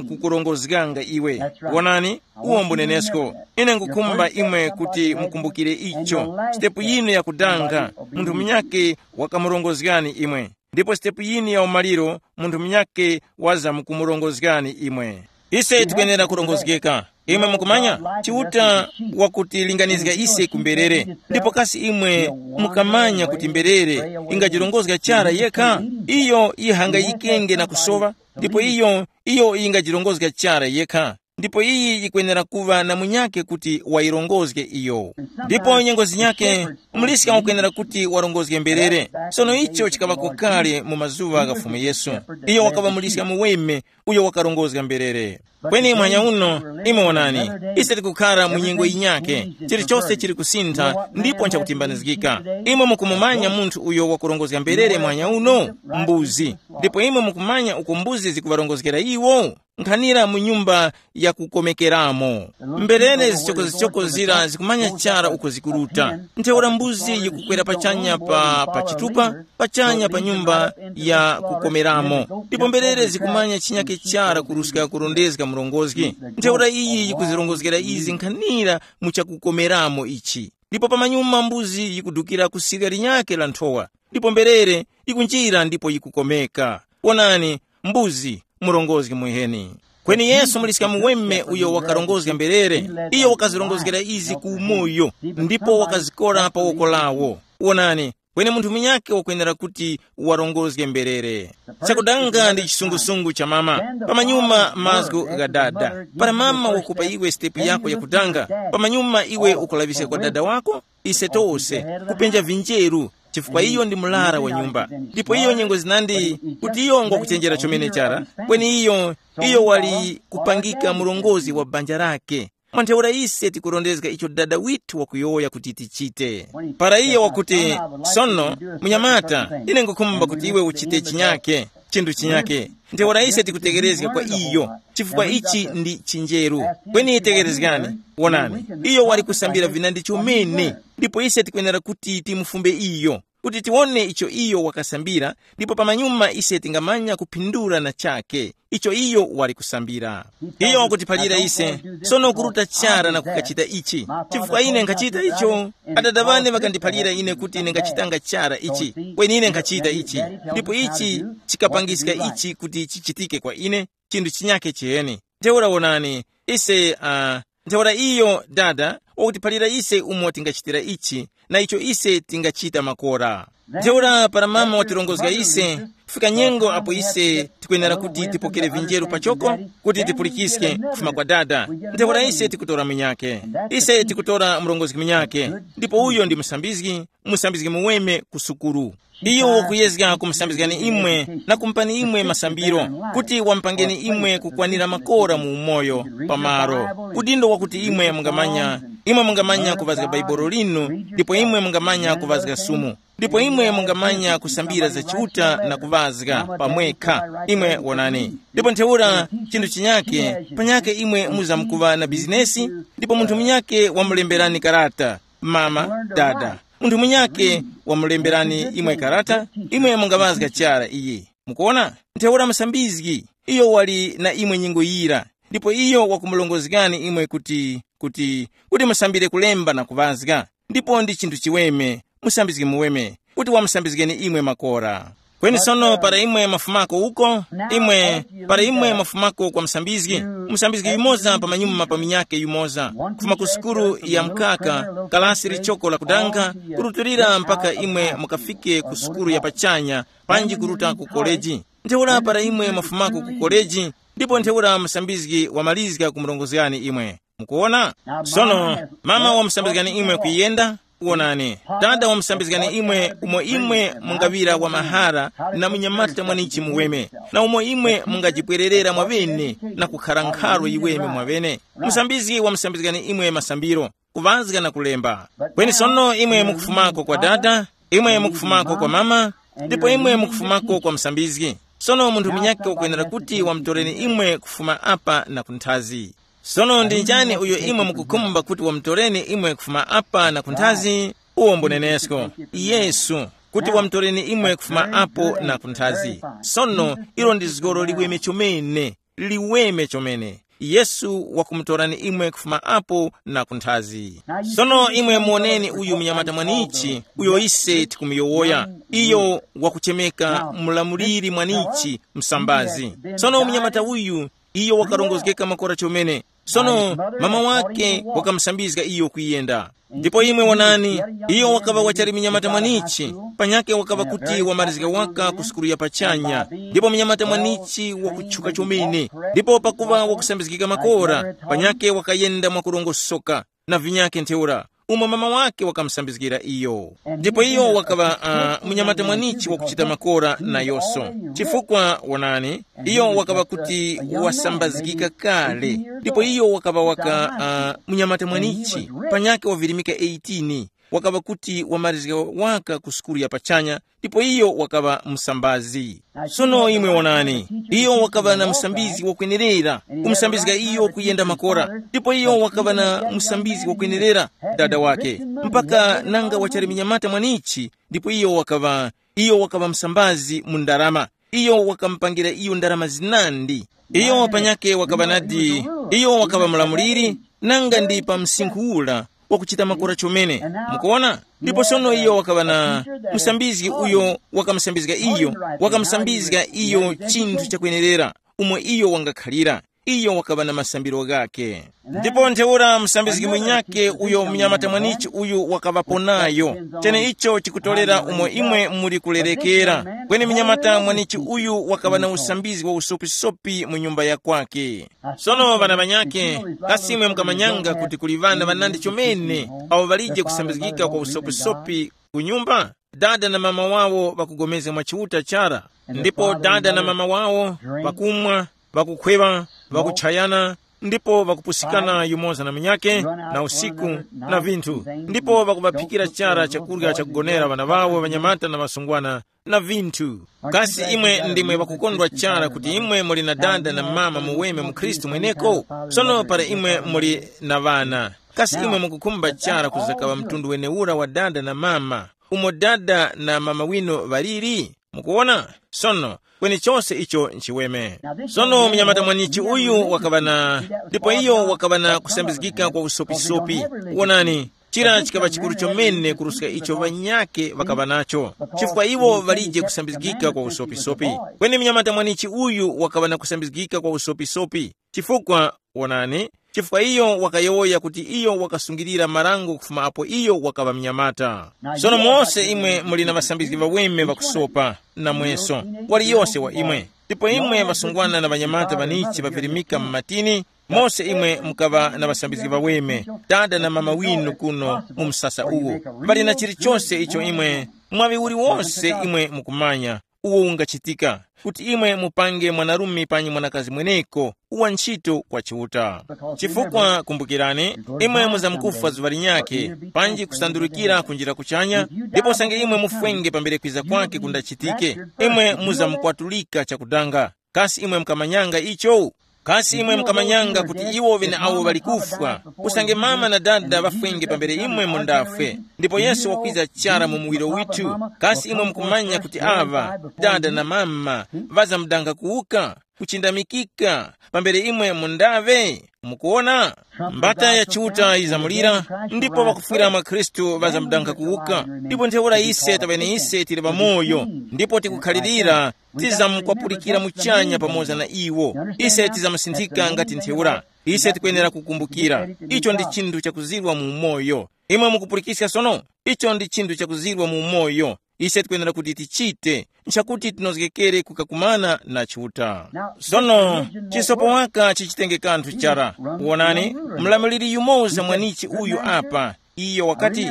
wazamkukurongozganga iwe. Wonani, uwo mbunenesko. Ine ngukhumba imwe kuti mukumbukire icho. Sitepu yinu yakudanga, munthu munyake wakamurongozgani imwe, ndipo sitepu yinu ya umaliro, munthu munyake wazamkumurongozgani imwe. Ise tikwenera kurongozgeka. Imwe mukumanya, Chiuta wakutilinganizga ise ku mberere. Ndipo kasi imwe mukamanya kuti mberere ingajirongozga chara yekha? Iyo yihangayikenge na kusowa, ndipo iyo, iyo yingajirongozga chara yekha. Ndipo iyi yikwenera kuŵa na munyake kuti wayirongozge iyo. Ndipo nyengo zinyake, muliska wakwenera kuti warongozge mberere. Sono icho chikaŵako kale mu mazuŵa gha Fumu Yesu. Iyo wakaŵa muliska muweme uyo wakarongozga mberere. Kweni mwanya uno, imwe wonani, ise tikukhara mu nyengo yinyake, chilichose chili kusintha ndipo nchakutimbanizgika. Imwe mukumumanya munthu uyo wakurongozga mberere mwanya uno? Mbuzi. Ndipo imwe mukumanya uko mbuzi zikuŵarongozgera iwo? Nkhanira mu nyumba ya kukomekeramo. Mberere zichokozichoko zira zikumanya chara uko zikuruta. Ntheura mbuzi yikukwera pachanya pa, pa chitupa, pachanya pa nyumba ya kukomeramo. Ndipo mberere zikumanya chinyake chara kuruska kurondezga murongozgi. Ntheura iyi yikuzirongozgera izi nkhanira mu chakukomeramo ichi. Ndipo pamanyuma mbuzi yikudukira ku sirya linyake la nthowa. Ndipo mberere yikunjira ndipo yikukomeka. Wonani, mbuzi, murongozgi mwiheni. Kweni Yesu muliska muweme uyo wakarongozga mberere, iyo wakazirongozgera izi ku umoyo, ndipo wakazikora pa woko lawo. Wonani, kweni munthu munyake wakwenera kuti warongozge mberere. Chakudanga ndi chisungusungu cha mama, pamanyuma mazgu gha dada. Para mama wakupa iwe sitepu yako yakudanga, pamanyuma iwe ukulaŵiska kwa dada wako, ise tose, kupenja vinjeru, chifukwa iyo ndi murara wa nyumba. Ndipo iyo nyengo zinandi kuti iyo ngwakuchenjera chomene chara, kweni iyo, iyo wali kupangika murongozgi wa banja lake. Mwa ntheura ise tikurondezga icho dada withu wakuyowoya kuti tichite. Para iyo wakuti, "Sono, munyamata, ine ngukhumba kuti iwe uchite chinyake, chinthu chinyake." Ntheura ise tikutekerezga kwa iyo, chifukwa ichi ndi chinjeru. Kweni tekerezgani, wonani, iyo wali kusambira vinandi chomene, ndipo ise tikwenera kuti timufumbe iyo. kuti tiwone icho iyo wakasambira, ndipo pamanyuma ise tingamanya kuphindula na chake icho iyo wali kusambira. Iyo wakutiphalira ise, sono kuruta chara na kukachita ichi, chifukwa ine nkhachita icho. Adada ŵane ŵakandiphalira ine kuti ine nkhachitanga chara ichi, kweni ine nkhachita ichi, ndipo ichi chikapangiska ichi kuti chichitike kwa ine, chinthu chinyakhe chiheni. Ntheura wonani, ise uh, ntheura iyo dada wakutiphalira ise umo tingachitira ichi, na icho ise tingachita makora. Ntheura para mama watirongozga ise, kufika nyengo apo ise tikwenera kuti tipokere vinjeru pachoko, kuti tipulikiske kufuma kwa dada. Ntheura ise tikutora munyake, ise tikutora murongozgi munyake, ndipo uyo ndi musambizgi, musambizgi muweme ku sukuru. Iyo wakuyezga kumusambizgani imwe na kumupani imwe masambiro, kuti wamupangeni imwe kukwanira makora mu umoyo pamaro. Udindo wakuti imwe mungamanya, imwe mungamanya kuvazga Baibolo linu, ndipo imwe mungamanya kuvazga sumu, ndipo imwe mungamanya kusambira za Chiuta na kuvazga pamwekha. Imwe wonani, ndipo ntheura chinthu chinyake, panyake imwe muzamkuva na bizinesi, ndipo munthu munyake wamulemberani karata, mama, dada, munthu munyake wamulemberani imwe karata, imwe mungaŵazga chara iyi. Mukuona? Ntheura musambizgi, iyo wali na imwe nyengo yira, ndipo iyo wakumulongozgani imwe kuti kuti kuti musambire kulemba na kuŵazga. Ndipo ndi chinthu chiweme, musambizgi muweme, kuti wamusambizgeni imwe makora. Kweni sono para imwe mafumako uko, imwe para imwe mafumako kwa musambizgi, musambizgi yumoza pamanyuma pa minyake yumoza, kufuma ku sukulu ya mkaka, kalasi lichoko la kudanga, kurutulira mpaka imwe mukafike ku sukulu ya pachanya, panji kuruta ku koleji. Ntheura para imwe mafumako ku koleji, ndipo ntheura musambizgi wamalizga kumurongozgani imwe. Mukuwona? Sono, mama wamusambizgani imwe kuyenda, wonani, dada wamusambizgani imwe umo imwe mungaŵira wa mahara na munyamata mwanichi muweme, na umo imwe mungajipwererera mwaŵene na kukhara nkharo yiweme mwaŵene. Musambizgi wamusambizgani imwe masambiro, kuŵazga na kulemba. Kweni sono imwe mukufumako kwa dada, imwe mukufumako kwa mama, ndipo imwe mukufumako kwa musambizgi. Sono munthu munyakhe wakwenera kuti wamutoreni imwe kufuma apa na kunthazi. Sono ndi njani uyo imwe mukukhumba kuti wamutoreni imwe kufuma apa na kunthazi? Uwo mbunenesko, Yesu, kuti wamutoreni imwe kufuma apo na kunthazi. Sono ilo ndi zgoro liweme chomene, liweme chomene. Yesu wakumutorani imwe kufuma apo na kunthazi. Sono imwe muoneni uyu munyamata mwanichi uyo ise tikumuyowoya. Iyo wakuchemeka mulamuliri mwanichi, msambazi. Sono munyamata uyu, iyo wakarongozgeka makora chomene. Sono mama wake wakamusambizga iyo kuyenda. Ndipo imwe wonani, iyo wakaŵa wachali munyamata mwanichi, panyake wakaŵa kuti wamarizga waka ku sukulu ya pachanya, ndipo munyamata mwanichi wakutchuka chomene, ndipo pakuŵa wakusambizgika makora, panyake wakayenda mwakurongosoka na vinyake ntheura, umo mama wake wakamusambizgira iyo. Ndipo iyo wakaŵa uh, munyamata mwanichi wakuchita makora nayoso, chifukwa wonani, iyo wakaŵa kuti wasambazgika kale, ndipo iyo wakaŵa waka uh, munyamata mwanichi, panyake wavirimika eighteen, wakaŵa kuti wamarizga waka ku sukulu ya pachanya, ndipo iyo wakaŵa msambazi. Sono imwe wonani, iyo wakaŵa na msambizi wakwenerera, kumusambizga iyo kuyenda makora, ndipo iyo wakaŵa na msambizi wakwenerera, dada wake, mpaka nanga wachali munyamata mwanichi, ndipo iyo wakaŵa iyo wakaŵa msambazi mu ndarama. Iyo wakamupangira iyo ndarama zinandi. Iyo panyake wakaŵa nadi, iyo wakaŵa mulamuliri, nanga ndi pa msinkhu ura wakuchita makora chomene. Mukuona? Ndipo sono iyo wakaŵa na musambizgi uyo wakamusambizga iyo, wakamusambizga iyo chinthu chakwenerera umo iyo wangakhalira. Iyo wakaŵa na masambiro ghakhe. Ndipo ntheura musambizgi munyakhe uyo munyamata mwanichi uyu wakaŵapo nayo. Cheneicho chikutorera umo imwe muli kulerekera. Kweni munyamata mwanichi uyu wakaŵa na usambizgi wa usopisopi mu nyumba ya kwake. Sono ŵana ŵanyakhe, kasi imwe mukamanyanga kuti kuli ŵana ŵanandi chomene awo ŵalije kusambizgika kwa usopisopi ku nyumba? Dada na mama wawo ŵakugomezga mwa Chiuta chara, ndipo dada na mama wawo ŵakumwa, ŵakukhweŵa, ŵakuchayana, ndipo ŵakupusikana yumoza na munyakhe na usiku na vinthu, ndipo ŵakuŵaphikira chara chakurya chakugonera ŵana ŵawo ŵanyamata na ŵasungwana na vinthu. Kasi imwe ndimwe ŵakukondwa chara kuti imwe muli na dada na mama muweme mu Khristu mweneko? Sono para imwe muli na ŵana, kasi imwe mukukhumba chara kuzakaŵa mtundu wenewura wa dada na mama? umo dada na mama winu ŵaliri? Mukuwona? Sono, kweni chose icho nchiweme. Sono munyamata mwanichi uyu wakaŵa na, ndipo iyo wakaŵa na kusambizgika kwa usopisopi. Wonani, chira chikaŵa chikuru chomene kuruska icho ŵanyakhe ŵakaŵa nacho, chifukwa iwo ŵalije kusambizgika kwa usopisopi. Kweni munyamata mwanichi uyu wakaŵa na kusambizgika kwa usopisopi, chifukwa, wonani, chifukwa iyo wakayowoya kuti iyo wakasungilira marango kufuma apo iyo wakaŵa mnyamata. Sono mose imwe muli na ŵasambizgi ŵaweme ŵakusopa, namweso, waliyose wa imwe. Ndipo imwe ŵasungwana na ŵanyamata ŵanichi ŵavirimika mu matini, mose imwe mukaŵa na ŵasambizgi ŵaweme, dada na mama winu kuno mu msasa uwu. Pali na chilichose icho imwe, mwaŵi uliwonse imwe mukumanya, uwo ungachitika, kuti imwe mupange mwanarume panyi mwanakazi mweneko uwa ntchito kwa Chiuta. Chifukwa kumbukirani, imwe muzamkufwa zuŵa linyakhe, panji kusandurukira kunjira kuchanya, ndipo usange imwe mufwenge pambere kwiza kwake kundachitike, imwe muzamukwatulika chakudanga. Kasi imwe mukamanyanga icho? Kasi imwe mukamanyanga kuti iwo ŵeneawo ŵali kufwa, usange mama na dada ŵafwenge pambere imwe mundafwe, ndipo Yesu wakwiza chara mu muwiro withu? Kasi imwe mukumanya kuti aŵa, dada na mama, ŵazamudanga kuwuka, kuchindamikika, pambere imwe mundaŵe? Mukuwona? Mbata ya Chiuta yizamulira, ndipo ŵakufwira mwa Khristu ŵazamudanga kuwuka. Ndipo ntheura ise taŵene ise tili pamoyo, ndipo tikukhalirira, tizamkwapulikira muchanya pamoza na iwo. Ise tizamusinthika ngati ntheura. Ise tikwenera kukumbukira, icho ndi chinthu chakuzirwa mu umoyo. Imwe mukupulikiska sono? Icho ndi chinthu chakuzirwa mu umoyo. Ise tikwenera kuti tichite, nchakuti tinozgekere kukakumana na Chiuta. Sono, chisopo waka chichitenge kanthu chara. Wonani, mlamuliri yumoza mwanichi uyu apa, iyo wakati,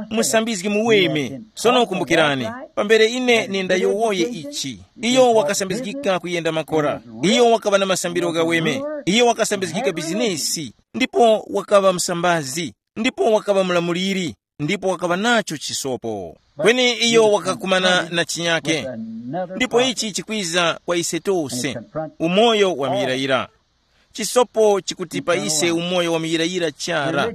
musambizgi muweme. Sono kumbukirani, pambere ine nindayowoye ichi, iyo wakasambizgika kuyenda makora. Iyo wakaŵa na masambiro ghaweme. Iyo wakasambizgika bizinesi, ndipo wakaŵa msambazi, ndipo wakaŵa mlamuliri, ndipo wakaŵa nacho chisopo. Kweni iyo wakakumana na chinyake. Ndipo ichi chikwiza kwa ise tose, umoyo wa muyirayira. Chisopo chikutipa ise umoyo wa muyirayira chara.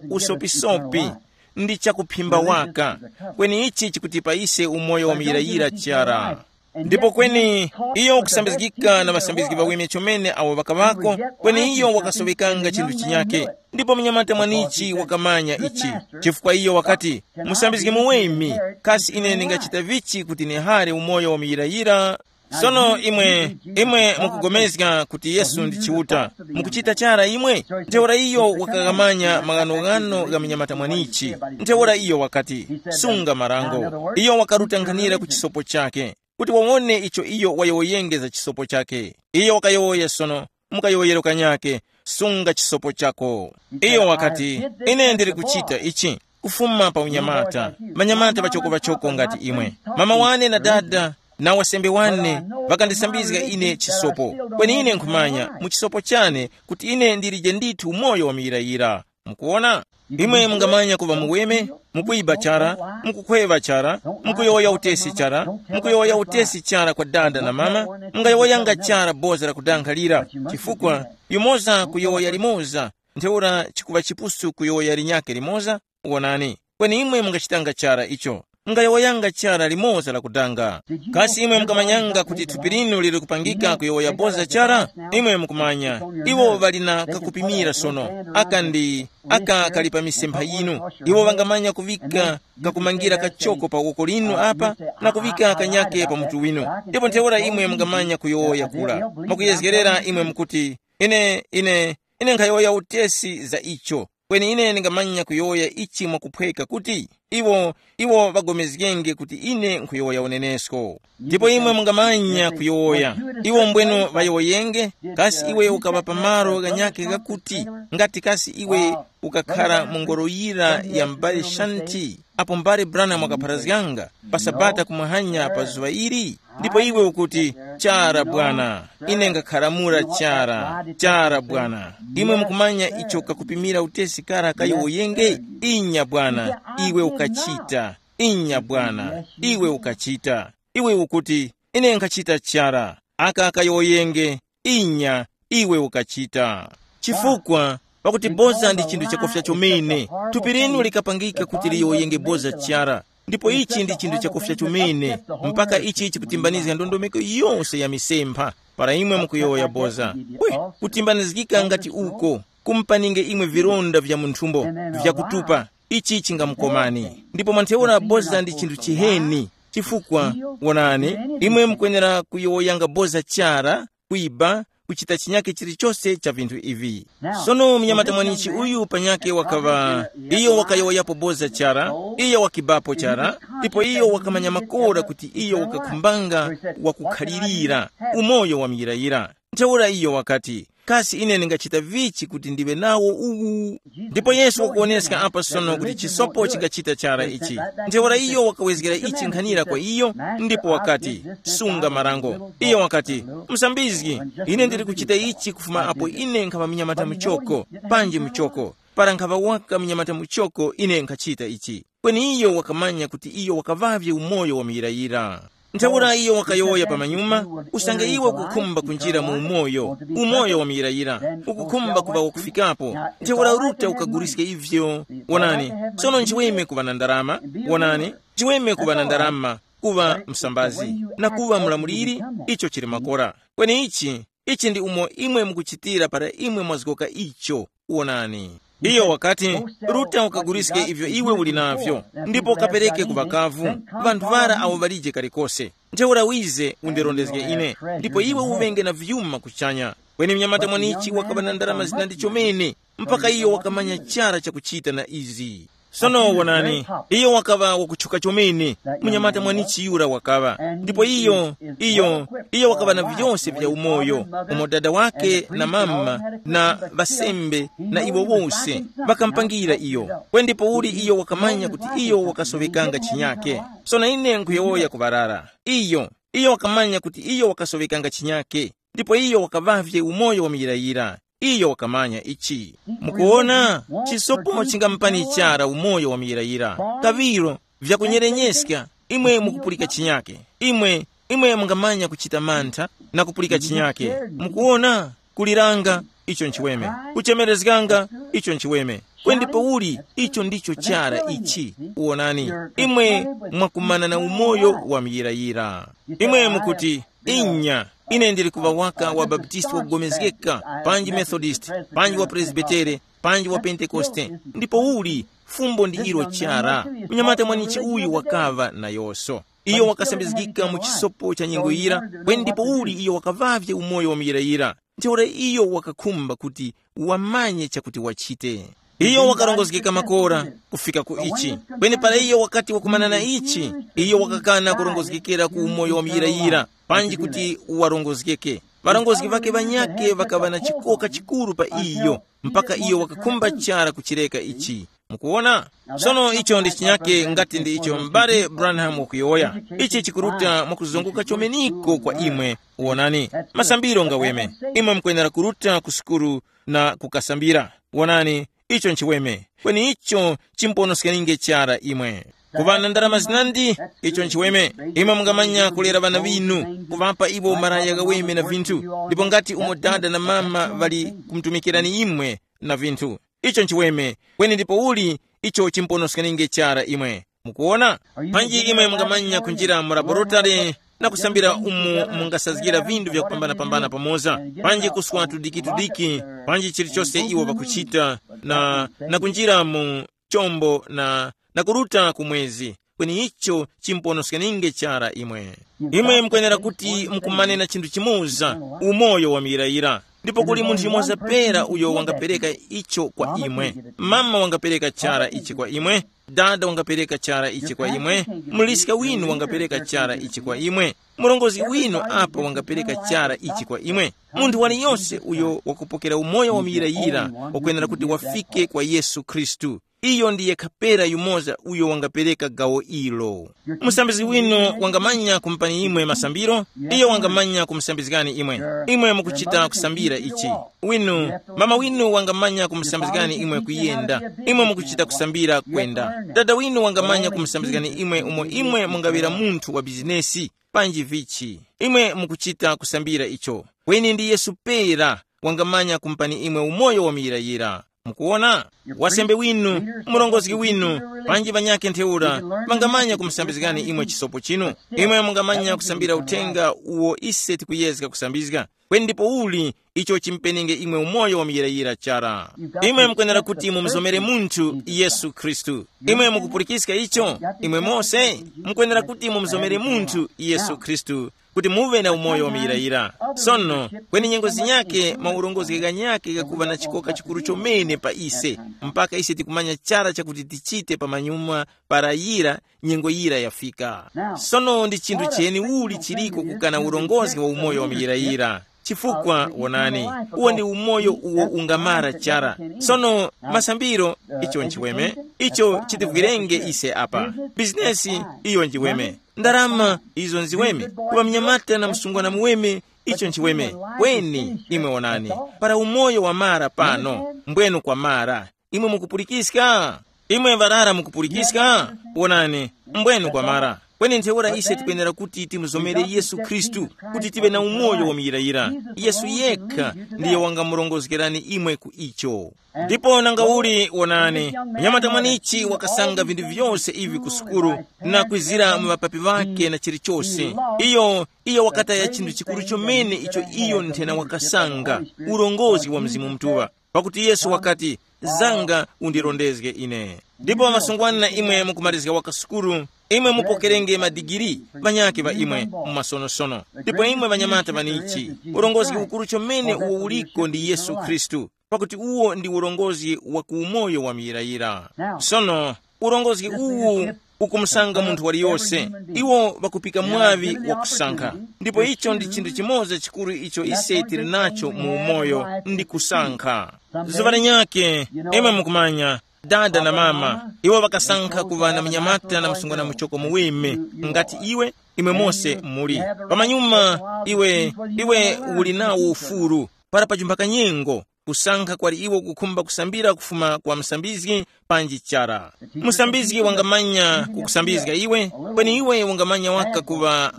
Usopisopi ndi chakuphimba waka, kweni ichi chikutipa ise umoyo wa muyirayira chara. Ndipo kweni, iyo kusambizgika na ŵasambizgi ŵaweme chomene awo ŵakaŵako, kweni iyo wakasowekanga chinthu chinyake. Ndipo munyamata mwanichi wakamanya ichi, chifukwa iyo wakati, musambizgi muweme, kasi ine ndingachita vichi kuti nihare umoyo wa muyirayira? Sono imwe, imwe mukugomezga kuti Yesu ndi Chiuta, mukuchita chara imwe? Ntheura iyo wakakamanya maghanoghano gha munyamata mwanichi. Ntheura iyo wakati, sunga marango. Iyo wakaruta nkhanira ku chisopo chake, kuti wawone icho iyo wayowoyenge za chisopo chake. Iyo wakayowoya sono, mukayowoyero kanyake, sunga chisopo chako. Iyo wakati, ine ndili kuchita ichi kufuma pa unyamata, manyamata pachoko pachoko ngati imwe. Mama wane na dada na wasembe wane ŵakandisambizga ine chisopo. Kweni ine nkhumanya mu chisopo chane kuti ine ndilije ndithu umoyo wa muyirayira. Mukuwona? Imwe mungamanya kuŵa muweme, mukuyiba chara, mukukhweŵa chara, mukuyowoya utesi chara, mukuyowoya utesi chara kwa dada na mama, mungayowoyanga chara boza la kudankha lira, chifukwa yumoza kuyowoya limoza, ntheura chikuŵa chipusu kuyowoya linyakhe limoza. Wonani, kweni imwe mungachitanga chara icho, mungayowoyanga chara limoza la kudanga. Kasi imwe mukamanyanga kuti thupi linu lili kupangika kuyowoya boza chara? Imwe mukumanya, iwo ŵali na kakupimira sono, aka ndi aka kali pa misempha yinu. Iwo ŵangamanya kuŵika kakumangira kachoko pa woko linu apa, na kuŵika kanyake pa mutu winu. Ndipo ntheura imwe mungamanya kuyowoya kura, mwakuyezgerera imwe mukuti, ine ine ine nkhayowoya utesi za icho, kweni ine ndingamanya kuyowoya ichi mwakuphweka kuti, iwo iwo ŵagomezgenge kuti ine nkhuyowoya unenesko. Ndipo imwe mungamanya kuyowoya, iwo mbwenu ŵayowoyenge. Kasi iwe ukaŵa pamaro ghanyakhe ghakuti, ngati kasi iwe ukakhara mu ngoro yira ya m'bale Shanti, apo m'bale Branham wakapharazganga pa Sabata kumwahanya pa zuŵa ili? Ndipo iwe ukuti, chara Bwana, ine ngakharamura chara, chara Bwana. Imwe mukumanya icho kakupimira utesi kara kayowoyenge? Inya Bwana, iwe ukachita. Inya Bwana, iwe ukachita. Iwe ukuti, ine nkhachita chara. Aka kayowoyenge. Inya, iwe ukachita. Chifukwa, pakuti boza ndi chinthu chakufya chomene. Thupi linu likapangika kuti liyowoyenge boza chara. Ndipo ichi ndi chinthu chakufya chomene, mpaka ichi chikutimbanizga ndondomeko yose ya misempha. Para imwe mukuyowoya boza, kwe, kutimbanizgika ngati uko, kumpaninge imwe vilonda vya mu nthumbo, vyakutupa, ichi chingamukomani. Ndipo mwantheura boza ndi chinthu chiheni, chifukwa, wonani, imwe mukwenera kuyowoyanga boza chara, kwiba, kuchita chinyake chilichose cha vinthu ivi. Sono munyamata mwanichi uyu panyake wakaŵa, iyo wakayowoyapo boza chara, iyo wakibapo chara, ndipo iyo wakamanya makora kuti iyo wakakhumbanga wakukhalirira umoyo wa muyirayira. Ntheura iyo wakati, kasi ine ndingachita vichi kuti ndiŵe nawo uwu? Ndipo Yesu wakuwoneska apa sono kuti chisopo chingachita chara ichi. Ntheura iyo wakawezgera ichi nkhanira kwa iyo, ndipo wakati, sunga marango. Iyo wakati, musambizgi, ine ndili kuchita ichi kufuma apo ine nkhaŵa munyamata muchoko, panji muchoko. Para nkhaŵa waka munyamata muchoko ine nkhachita ichi. Kweni iyo wakamanya kuti iyo wakaŵavye umoyo wa muyirayira. Ntheura iyo wakayowoya pamanyuma, usange iwe ukukhumba kunjira mu umoyo, umoyo wa muyirayira, ukukhumba kuŵa wakufikapo, ntheura ruta ukaguliske ivyo. Wonani, sono nchiweme kuŵa na ndarama, wonani, nchiweme kuŵa na ndarama, kuŵa msambazi, na kuŵa mulamuliri, icho chili makora. Kweni ichi, ichi ndi umo imwe mukuchitira para imwe mwazgoka icho. Wonani. Iyo wakati, ruta ukaguliske ivyo iwe uli navyo, ndipo ukapereke ku ŵakavu, ŵanthu ŵara awo ŵalije kalikose. Ntheura wize undirondezge ine, ndipo iwe uŵenge na vyuma kuchanya. Kweni mnyamata mwanichi wakaŵa na ndarama zinandi chomene, mpaka iyo wakamanya chara chakuchita na izi. Sono wonani, iyo wakaŵa wakutchuka chomene, munyamata mwanichi yura wakaŵa. Ndipo iyo, iyo, iyo wakaŵa na vyose vya umoyo, umo dada wake na mama na ŵasembe na iwo wose ŵakampangira iyo. Kwe ndipouli iyo wakamanya kuti iyo wakasowekanga chinyake. Sono ine nkhuyowoya kuŵarara. Iyo, iyo wakamanya kuti iyo wakasowekanga chinyake, ndipo iyo wakaŵavye umoyo wa muyirayira. Iyo wakamanya ichi. Mukuwona, chisopo chingamupani chara umoyo wa muyirayira. Kaŵiro, vyakunyerenyeska, imwe mukupulika chinyake. Imwe, imwe mungamanya kuchita mantha na kupulika chinyake. Mukuwona, kuliranga, icho nchiweme. Kuchemerezganga, icho nchiweme. Kwendi pauli, icho ndicho chara ichi. Wonani, imwe mwakumana na umoyo wa muyirayira. Imwe mukuti, inya, ine ndili kuŵa waka wa Baptisti wakugomezgeka, panji Methodist, panji wa Presbitere, panji wa Pentekoste. Ndipo uli, fumbo ndi ilo chara. Mnyamata mwanichi uyu wakaŵa nayoso. Iyo wakasambizgika mu chisopo cha nyengo yira, kweni ndipo uli iyo wakaŵavye umoyo wa muyirayira. Ntheura iyo wakakhumba kuti wamanye chakuti wachite. Iyo wakarongozgeka makora kufika ku ichi. Kweni para iyo wakati wakumana na ichi, iyo wakakana kurongozgekera ku umoyo wa muyirayira, panji kuti warongozgeke. Ŵarongozgi ŵakhe ŵanyakhe ŵakaŵa na chikoka chikuru pa iyo, mpaka iyo wakakhumba chara kuchireka ichi. Mukuwona? Sono icho ndi chinyake ngati ndi icho m'bale Branham wakuyowoya. Ichi chikuruta mwakuzunguka chomeniko kwa imwe. Wonani, masambiro ngaweme. Imwe mukwenera kuruta ku sukulu na kukasambira. Wonani, icho nchiweme. Kweni icho chimponoskaninge chara imwe. Kuŵa na ndalama zinandi, icho nchiweme. Imwe mungamanya kulera ŵana ŵinu, kuŵapa iwo maraya ghaweme na vinthu. Ndipo ngati umo dada na mama ŵali kumutumikirani imwe na vinthu, icho nchiweme. Kweni ndipo uli icho chimponoskaninge chara imwe. Mukuwona? Panji imwe mungamanya kunjira mu laboratory na kusambira umo mungasazgira vinthu vyakupambana-pambana pamoza, panji kuswa tudiki-tudiki, panji chilichose iwo ŵakuchita, na, na kunjira mu chombo na, na kuruta ku mwezi. Kweni icho chimponoskaninge chara imwe. Imwe mukwenera kuti mukumane na chinthu chimoza, umoyo wa muyirayira. Ndipo kuli munthu yumoza pera uyo wangapereka icho kwa imwe. Mama wangapereka chara ichi kwa imwe, dada wangapereka chara ichi kwa imwe, muliska winu wangapereka chara ichi kwa imwe, murongozgi winu apa wangapereka chara ichi kwa imwe. Munthu waliyose uyo wakupokera umoyo wa muyirayira wakwenera kuti wafike kwa Yesu Khristu. Iyo ndi yekha pera yumoza uyo wangapereka gawo ilo. Musambizgi winu wangamanya kumupani imwe masambiro, iyo wangamanya kumusambizgani imwe. Imwe mukuchita kusambira ichi. Winu, mama winu wangamanya kumusambizgani imwe kuyenda. Imwe mukuchita kusambira kwenda. Dada winu wangamanya kumusambizgani imwe umo imwe mungaŵira munthu wa bizinesi, panji vichi. Imwe mukuchita kusambira icho. Kweni ndi Yesu pera wangamanya kumupani imwe umoyo wa muyirayira. Mukuwona? Wasembe winu, murongozgi winu, panji ŵanyakhe ntheura, ŵangamanya kumusambizgani imwe chisopo chinu. Imwe mungamanya kusambira uthenga uwo ise tikuyezga kusambizga. Kweni ndipo uli icho chimpenenge imwe umoyo wa muyirayira chara? Imwe mukwenera kuti mumuzomere munthu Yesu Khristu. Imwe mukupulikiska icho? Imwe mose mukwenera kuti mumuzomere munthu Yesu Khristu, kuti muve na umoyo wa muyirayira. Sono, kweni nyengo zinyake maurongozgi ghanyake ghakuva na chikoka chikuru chomene pa ise, mpaka ise tikumanya chara chakuti tichite pamanyuma para yira nyengo yira yafika. Sono ndi chinthu cheni uli chiliko kukana urongozgi wa umoyo wa muyirayira? Chifukwa wonani, uwo ndi umoyo uwo ungamara chara. Sono, masambiro, icho nchiweme, icho chitivwirenge ise apa. Bizinesi, iyo njiweme. Ndarama, izo nziweme. Kuŵa mnyamata na msungwana muweme, icho nchiweme. Kweni, imwe wonani, para umoyo wamara pano, mbwenu kwamara. Imwe mukupulikiska? Imwe ŵarara mukupulikiska? Wonani, mbwenu kwamara. Kweni ntheura ise tikwenera kuti timuzomere Yesu Khristu, kuti tive na umoyo wa muyirayira. Yesu yekha ndiye wangamurongozgerani imwe ku icho. Ndipo nanga uli, wonani, mnyamata mwanichi wakasanga vinthu vyose ivi ku sukulu, na kwizira mu ŵapapi ŵake na chilichose. Iyo, iyo wakataya chinthu chikuru chomene icho iyo nthena wakasanga, urongozi wa Mzimu Mutuŵa. Pakuti Yesu wakati, zanga undirondezge ine. Ndipo masungwana imwe mukumalizga waka sukulu, imwe mupokerenge madigiri, ŵanyake ŵa imwe, mu masonosono. Ndipo imwe ŵanyamata ŵanichi, urongozi ukuru chomene uwo uliko ndi Yesu Khristu, pakuti uwo ndi urongozi wa ku umoyo wa muyirayira. Sono, urongozi uwu ukumusanga munthu waliyose. Iwo ŵakupika mwaŵi wa kusankha. Ndipo icho ndi chinthu chimoza chikuru icho ise tili nacho mu umoyo, ndi kusankha. Zuŵa linyakhe, imwe mukumanya, dada na mama, iwo ŵakasankha kuŵa na mnyamata na msungwana muchoko muweme, ngati iwe, imwe mose muli. Pamanyuma, iwe, iwe uli nawo ufulu, para pajumba kanyengo, kusankha kwali iwo kukhumba kusambira kufuma kwa msambizgi panji chara. Msambizgi wangamanya kukusambizga iwe, kweni iwe ungamanya waka kuŵa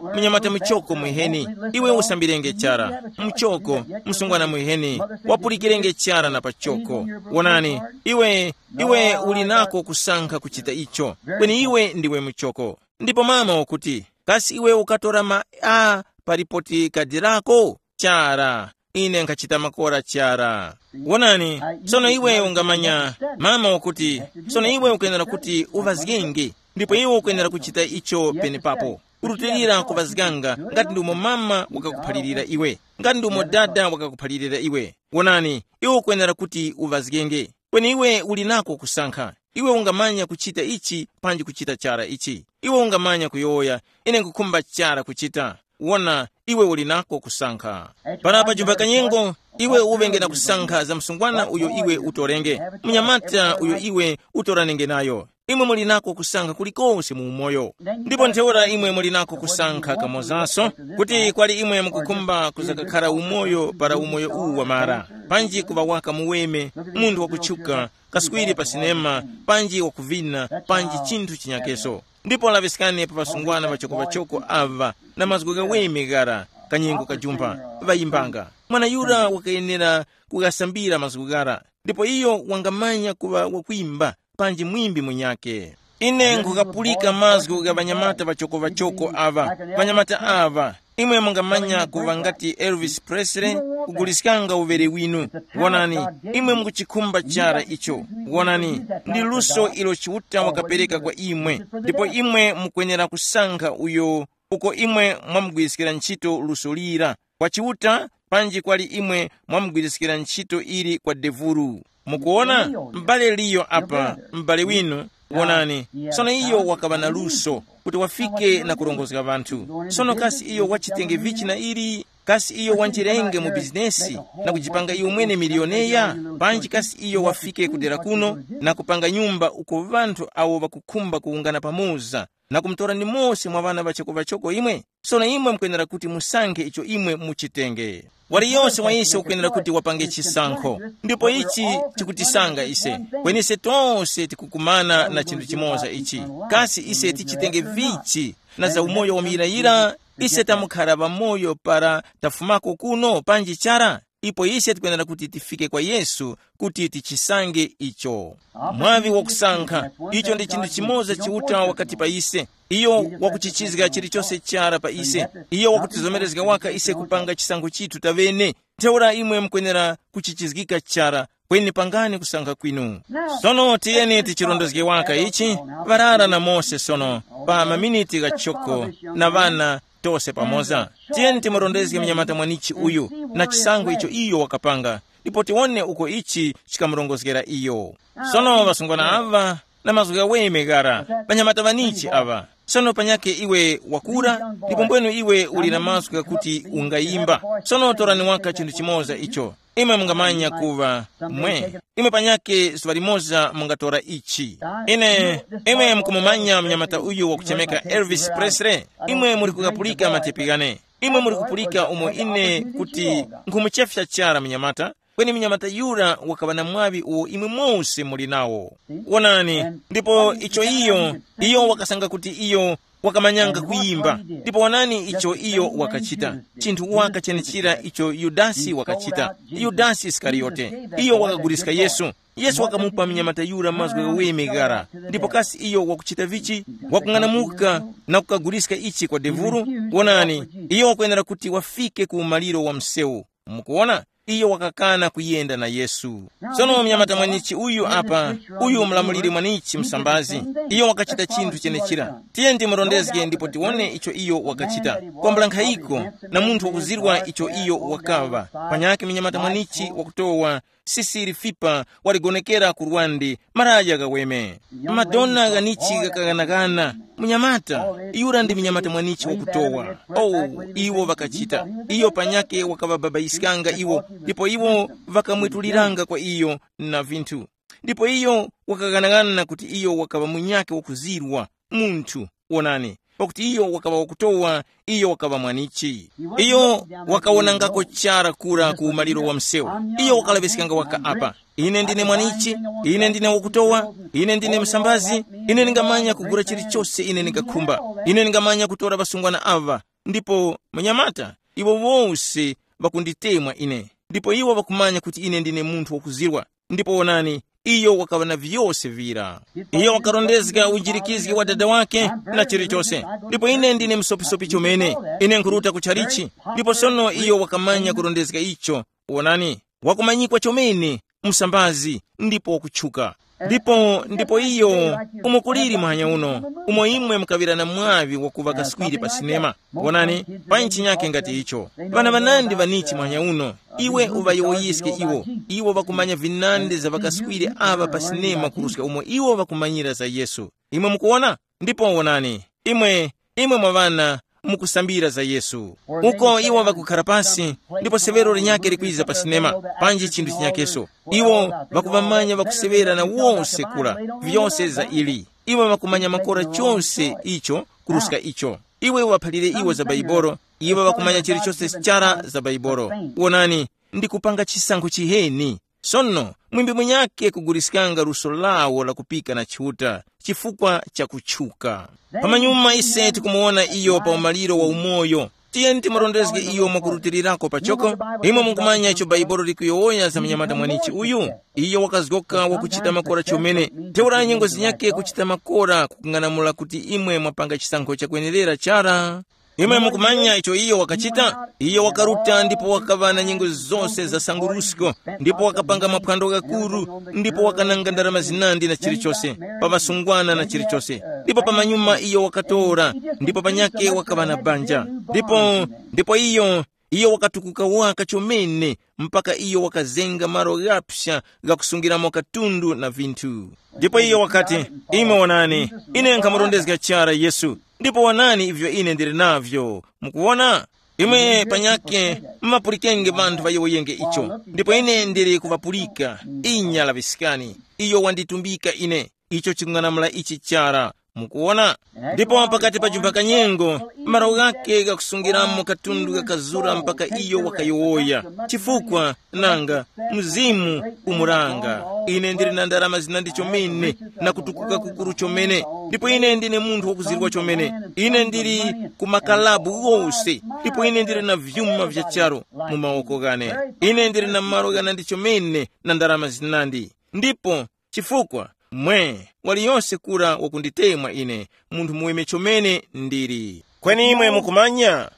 uh, mnyamata muchoko mwiheni. Iwe usambirenge chara, muchoko, msungwana mwiheni, wapulikirenge chara na pachoko. Wonani, iwe, iwe uli nako kusankha kuchita icho, kweni iwe ndiwe muchoko. Ndipo mama wakuti, kasi iwe ukatora ma a pa lipoti kadi lako? Chara, ine nkhachita makora chara. Wonani, sono iwe ungamanya, mama wakuti, sono iwe ukenera kuti uŵazgenge, ndipo iwe ukenera kuchita icho penepapo. Urutilira kuŵazganga ngati ndi umo mama wakakuphalirira iwe, ngati ndi umo dada wakakuphalirira iwe. Wonani, iwe ukwenera kuti uŵazgenge. Kweni iwe uli nako kusankha. Iwe ungamanya kuchita ichi panji kuchita chara ichi. Iwe ungamanya kuyowoya, ine nkukhumba chara kuchita. Wona, iwe uli nako kusankha. Para pa chumba kanyengo, iwe uŵenge na kusankha za msungwana uyo iwe utorenge, mnyamata uyo iwe utoranenge nayo. Imwe muli nako kusankha kulikose mu umoyo. Ndipo ntheura imwe muli nako kusankha kamozanso, kuti kwali imwe mukukhumba kuzakakhara umoyo para umoyo uwu wamara, panji kuŵa waka muweme, munthu wakutchuka, kaswiri pa sinema, panji wakuvina, panji chinthu chinyakeso. Ndipo laŵiskani pa ŵasungwana ŵachoko-ŵachoko aŵa na mazgu ghaweme ghara, kanyengo kajumpha, ŵayimbanga. Mwana yura wakayenera kughasambira mazgu ghara, ndipo iyo wangamanya kuŵa wakwimba panji mwimbi munyakhe. Ine nkhukapulika mazgu gha ŵanyamata ŵachoko-ŵachoko aŵa. Ŵanyamata aŵa, imwe mungamanya kuŵa ngati Elvis Presley, kuguliskanga uŵere winu. Wonani, imwe mukuchikhumba chara icho. Wonani, ndi luso ilo Chiuta wakapereka kwa imwe, ndipo imwe mukwenera kusankha uyo uko imwe mwamugwiriskira ntchito luso lira, kwa Chiuta, panji kwali imwe mwamugwiriskira ntchito ili kwa devuru. Mukuwona, m'bale Liyo apa, m'bale winu, wonani, sono iyo wakaŵa na luso kuti wafike na kurongozga ŵanthu. Sono kasi iyo wachitenge vichi na ili? Kasi iyo wanjirenge mu bizinesi na kujipanga iyo mwene miliyoneya? Panji kasi iyo wafike kudera kuno na kupanga nyumba uko ŵanthu awo ŵakukhumba kuwungana pamoza na kumutora nimosi mwa ŵana ŵachoko-ŵachoko imwe? Sono imwe mukwenera kuti musankhe icho imwe muchitenge. Waliyonse wa ise ukwenera kuti wapange chisankho. Ndipo ichi chikutisanga ise. Kweni ise tose tikukumana na chinthu chimoza ichi. Kasi ise tichitenge vichi na za umoyo wa muyirayira? Ise tamukhara ŵamoyo para tafumako kuno panji chara? ipo ise tikwenera kuti tifike kwa Yesu kuti tichisange icho. Mwaŵi wakusankha, icho ndi chinthu chimoza Chiuta wakati pa ise. Iyo wakuchichizga chilichose chara pa ise. Iyo wakutizomerezga waka ise kupanga chisankho chithu taŵene. Ntheura imwe mukwenera kuchichizgika chara, kweni pangani kusankha kwinu. Sono tiyeni tichirondezge waka ichi, ŵarara na Mose sono, pa maminiti ghachoko, na ŵana tose pamoza. Tiyeni timurondezge mnyamata mwanichi uyu, na chisankho icho iyo wakapanga, ndipo tiwone uko ichi chikamurongozgera iyo. Sono ŵasungwana aŵa na mazgu ghaweme ghara, ŵanyamata ŵanichi aŵa. Sono panyakhe iwe wakura, ndipo mbwenu iwe uli na mazgu ghakuti ungayimba. Sono torani waka chinthu chimoza icho. Imwe mungamanya kuŵa mwe. Imwe panyakhe zuŵa limoza mungatora ichi. Ine, imwe mukumumanya mnyamata uyu wakuchemeka Elvis Presley? Imwe muli kukapulika matepi ghane. Imwe muli kupulika umo ine kuti nkhumuchefya chara mnyamata, kweni mnyamata yura wakaŵa na mwaŵi uwo imwe mose muli nawo. Wonani, ndipo icho iyo, iyo wakasanga kuti iyo wakamanyanga kuyimba. Ndipo wonani icho iyo wakachita, chinthu waka chenechira icho Yudasi wakachita. Yudasi Isikariyote, iyo wakaguliska Yesu. Yesu wakamupa mnyamata yura mazgu ghaweme ghara. Ndipo kasi iyo wakuchita vichi? Wakung'anamuka na kukaguliska ichi kwa devuru. Wonani, iyo wakwenera kuti wafike ku umaliro wa msewu. Mukuwona, iyo wakakana kuyenda na Yesu. Sono mnyamata mwanichi uyu apa, uyu mlamuliri mwanichi msambazi, iyo wakachita chinthu chenechira. Tiye ndimurondezge ndipo tiwone icho iyo wakachita. Kwambula nkhayiko, na munthu wakuzirwa icho iyo wakaŵa. Panyakhe mnyamata mwanichi wakutowa sisiri fipa waligonekera ku lwande, maraya ghaweme. Madona ghanichi ghakaghanagana. Munyamata, yura ndi munyamata mwanichi wakutowa. Oh, iwo ŵakachita. Iyo panyake wakaŵababayiskanga iwo, ndipo iwo ŵakamwetuliranga kwa iyo na vinthu. Ndipo iyo wakaghanagana kuti iyo wakaŵa munyake wakuzirwa, munthu, wonani, pakuti iyo wakaŵa wakutowa, iyo wakaŵa mwanichi. Iyo wakawonangako chara kura ku umaliro wa msewu. Iyo wakalaŵiskanga waka apa, ine ndine mwanichi, ine ndine wakutowa, ine ndine msambazi, ine ndingamanya kugula chilichose ine ndingakhumba, ine ndingamanya kutora ŵasungwana aŵa. Ndipo manyamata, iwo wose ŵakunditemwa ine, ndipo iwo ŵakumanya kuti ine ndine munthu wakuzirwa. Ndipo wonani, iyo wakaŵa na vyose vira. Iyo wakarondezga unjirikizgi wa dada wake na chilichose. Ndipo ine ndine msopisopi chomene, ine nkhuruta ku chalichi. Ndipo sono iyo wakamanya kurondezga icho. Wonani, wakumanyikwa chomene, msambazi, ndipo wakutchuka. Ndipo ndipo iyo, umo kuliri muhanya uno, umo imwe mukaŵira na mwaŵi wakuŵa kaswiri pa sinema. Wonani, pa nchi nyakhe ngati icho, ŵana ŵanandi ŵanichi muhanya uno, iwe uŵayowoyiske iwo. Iwo ŵakumanya vinandi za ŵakaswiri aŵa pa sinema kuruska umo iwo ŵakumanyira za Yesu. Imwe mukuwona? Ndipo wonani, imwe, imwe mwa ŵana, mukusambira za Yesu. Uko iwo ŵakukhara pasi, ndipo severo linyakhe likwiza pa sinema, panji chinthu chinyakeso. Iwo ŵakuŵamanya ŵakuseŵera na wose kura, vyose za ili. Iwo ŵakumanya makora chose icho kuruska icho. Iwe uŵaphalire iwo za Baibolo, iwo ŵakumanya chilichose chara za Baibolo. Wonani, ndi kupanga chisankho chiheni. Sono, mwimbi munyakhe kuguliskanga luso lawo la kupika na Chiuta chifukwa cha kutchuka. Pamanyuma ise tikumuwona iyo pa umaliro wa umoyo. Tiyeni timurondezge iyo mwakurutirirako pachoko. Imwe mukumanya icho Baibolo likuyowoya za mnyamata mwanichi uyu? Iyo wakazgoka wakuchita makora chomene. Ntheura nyengo zinyakhe kuchita makora kukung'anamula kuti imwe mwapanga chisankho chakwenerera chara. Imwe mukumanya icho iyo wakachita? Iyo wakaruta ndipo wakaŵa na nyengo zose za sangurusko, ndipo wakapanga maphwando ghakuru, ndipo wakananga ndarama zinandi na chilichose, pa ŵasungwana na chilichose. Ndipo pamanyuma iyo wakatora, ndipo panyakhe wakaŵa na banja. Ndipo, ndipo iyo, iyo wakatukuka waka chomene, mpaka iyo wakazenga malo ghapsa ghakusungiramo katundu na vinthu. Ndipo iyo wakati, imwe wonani, ine nkhamurondezga chara Yesu, ndipo wonani ivyo ine ndili navyo. Mukuwona? Imwe panyakhe mumapulikenge vanthu ŵayowoyenge icho, ndipo ine ndili kuŵapulika. Inya laŵiskani, iyo wanditumbika ine. Icho chikung'anamula ichi chara. Mukuwona? Ndipo pakati pa jumba kanyengo, malo ghake ghakusungiramo katundu kakazura mpaka iyo wakayowoya. Chifukwa, nanga, mzimu umuranga. Ine ndili na ndarama zinandi chomene, na kutukuka kukuru chomene. Ndipo ine ndine munthu wakuzirwa chomene. Ine ndili ku makalabu ghose, ndipo ine ndili na vyuma vya charu mu mawoko ghane. Ine ndili na malo ghanandi chomene na ndarama zinandi. Ndipo chifukwa, mwe, waliyonse kura wakunditemwa ine, munthu muweme chomene ndili. Kweni imwe mukumanya,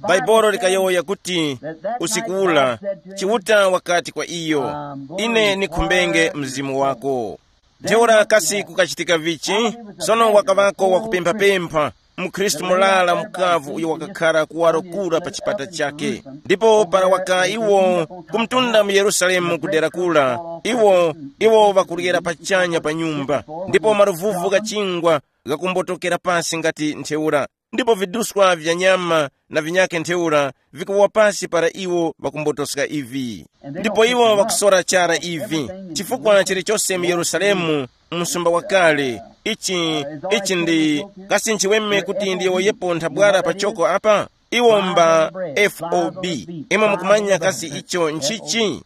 Bhaibuli likayowoya kuti, usiku ula, Chiuta wakati kwa iyo, ine nikhumbenge mzimu wako. Ntheura kasi kukachitika vichi? Sono wakaŵako wakupemphapempha, mukhristu mulala mukavu uyo wakakhara kuwaro kura pa chipata chakhe. Ndipo para waka iwo kumtunda mu Yerusalemu kudera kura, iwo iwo ŵakuryera pachanya pa nyumba, ndipo maluvuvu gha chingwa ghakumbotokera pasi ngati ntheura, ndipo viduswa vya nyama na vinyakhe ntheura vikuwa pasi para iwo ŵakumbotoska ivi. Ndipo iwo ŵakusora chara ivi, chifukwa chilichose mu Yerusalemu, msumba wakale, ichi ichi ndi kasi nchiweme kuti ndiyowoyepo nthabwara pachoko apa? Iwo mba fob. Imwe mukumanya kasi icho nchichi?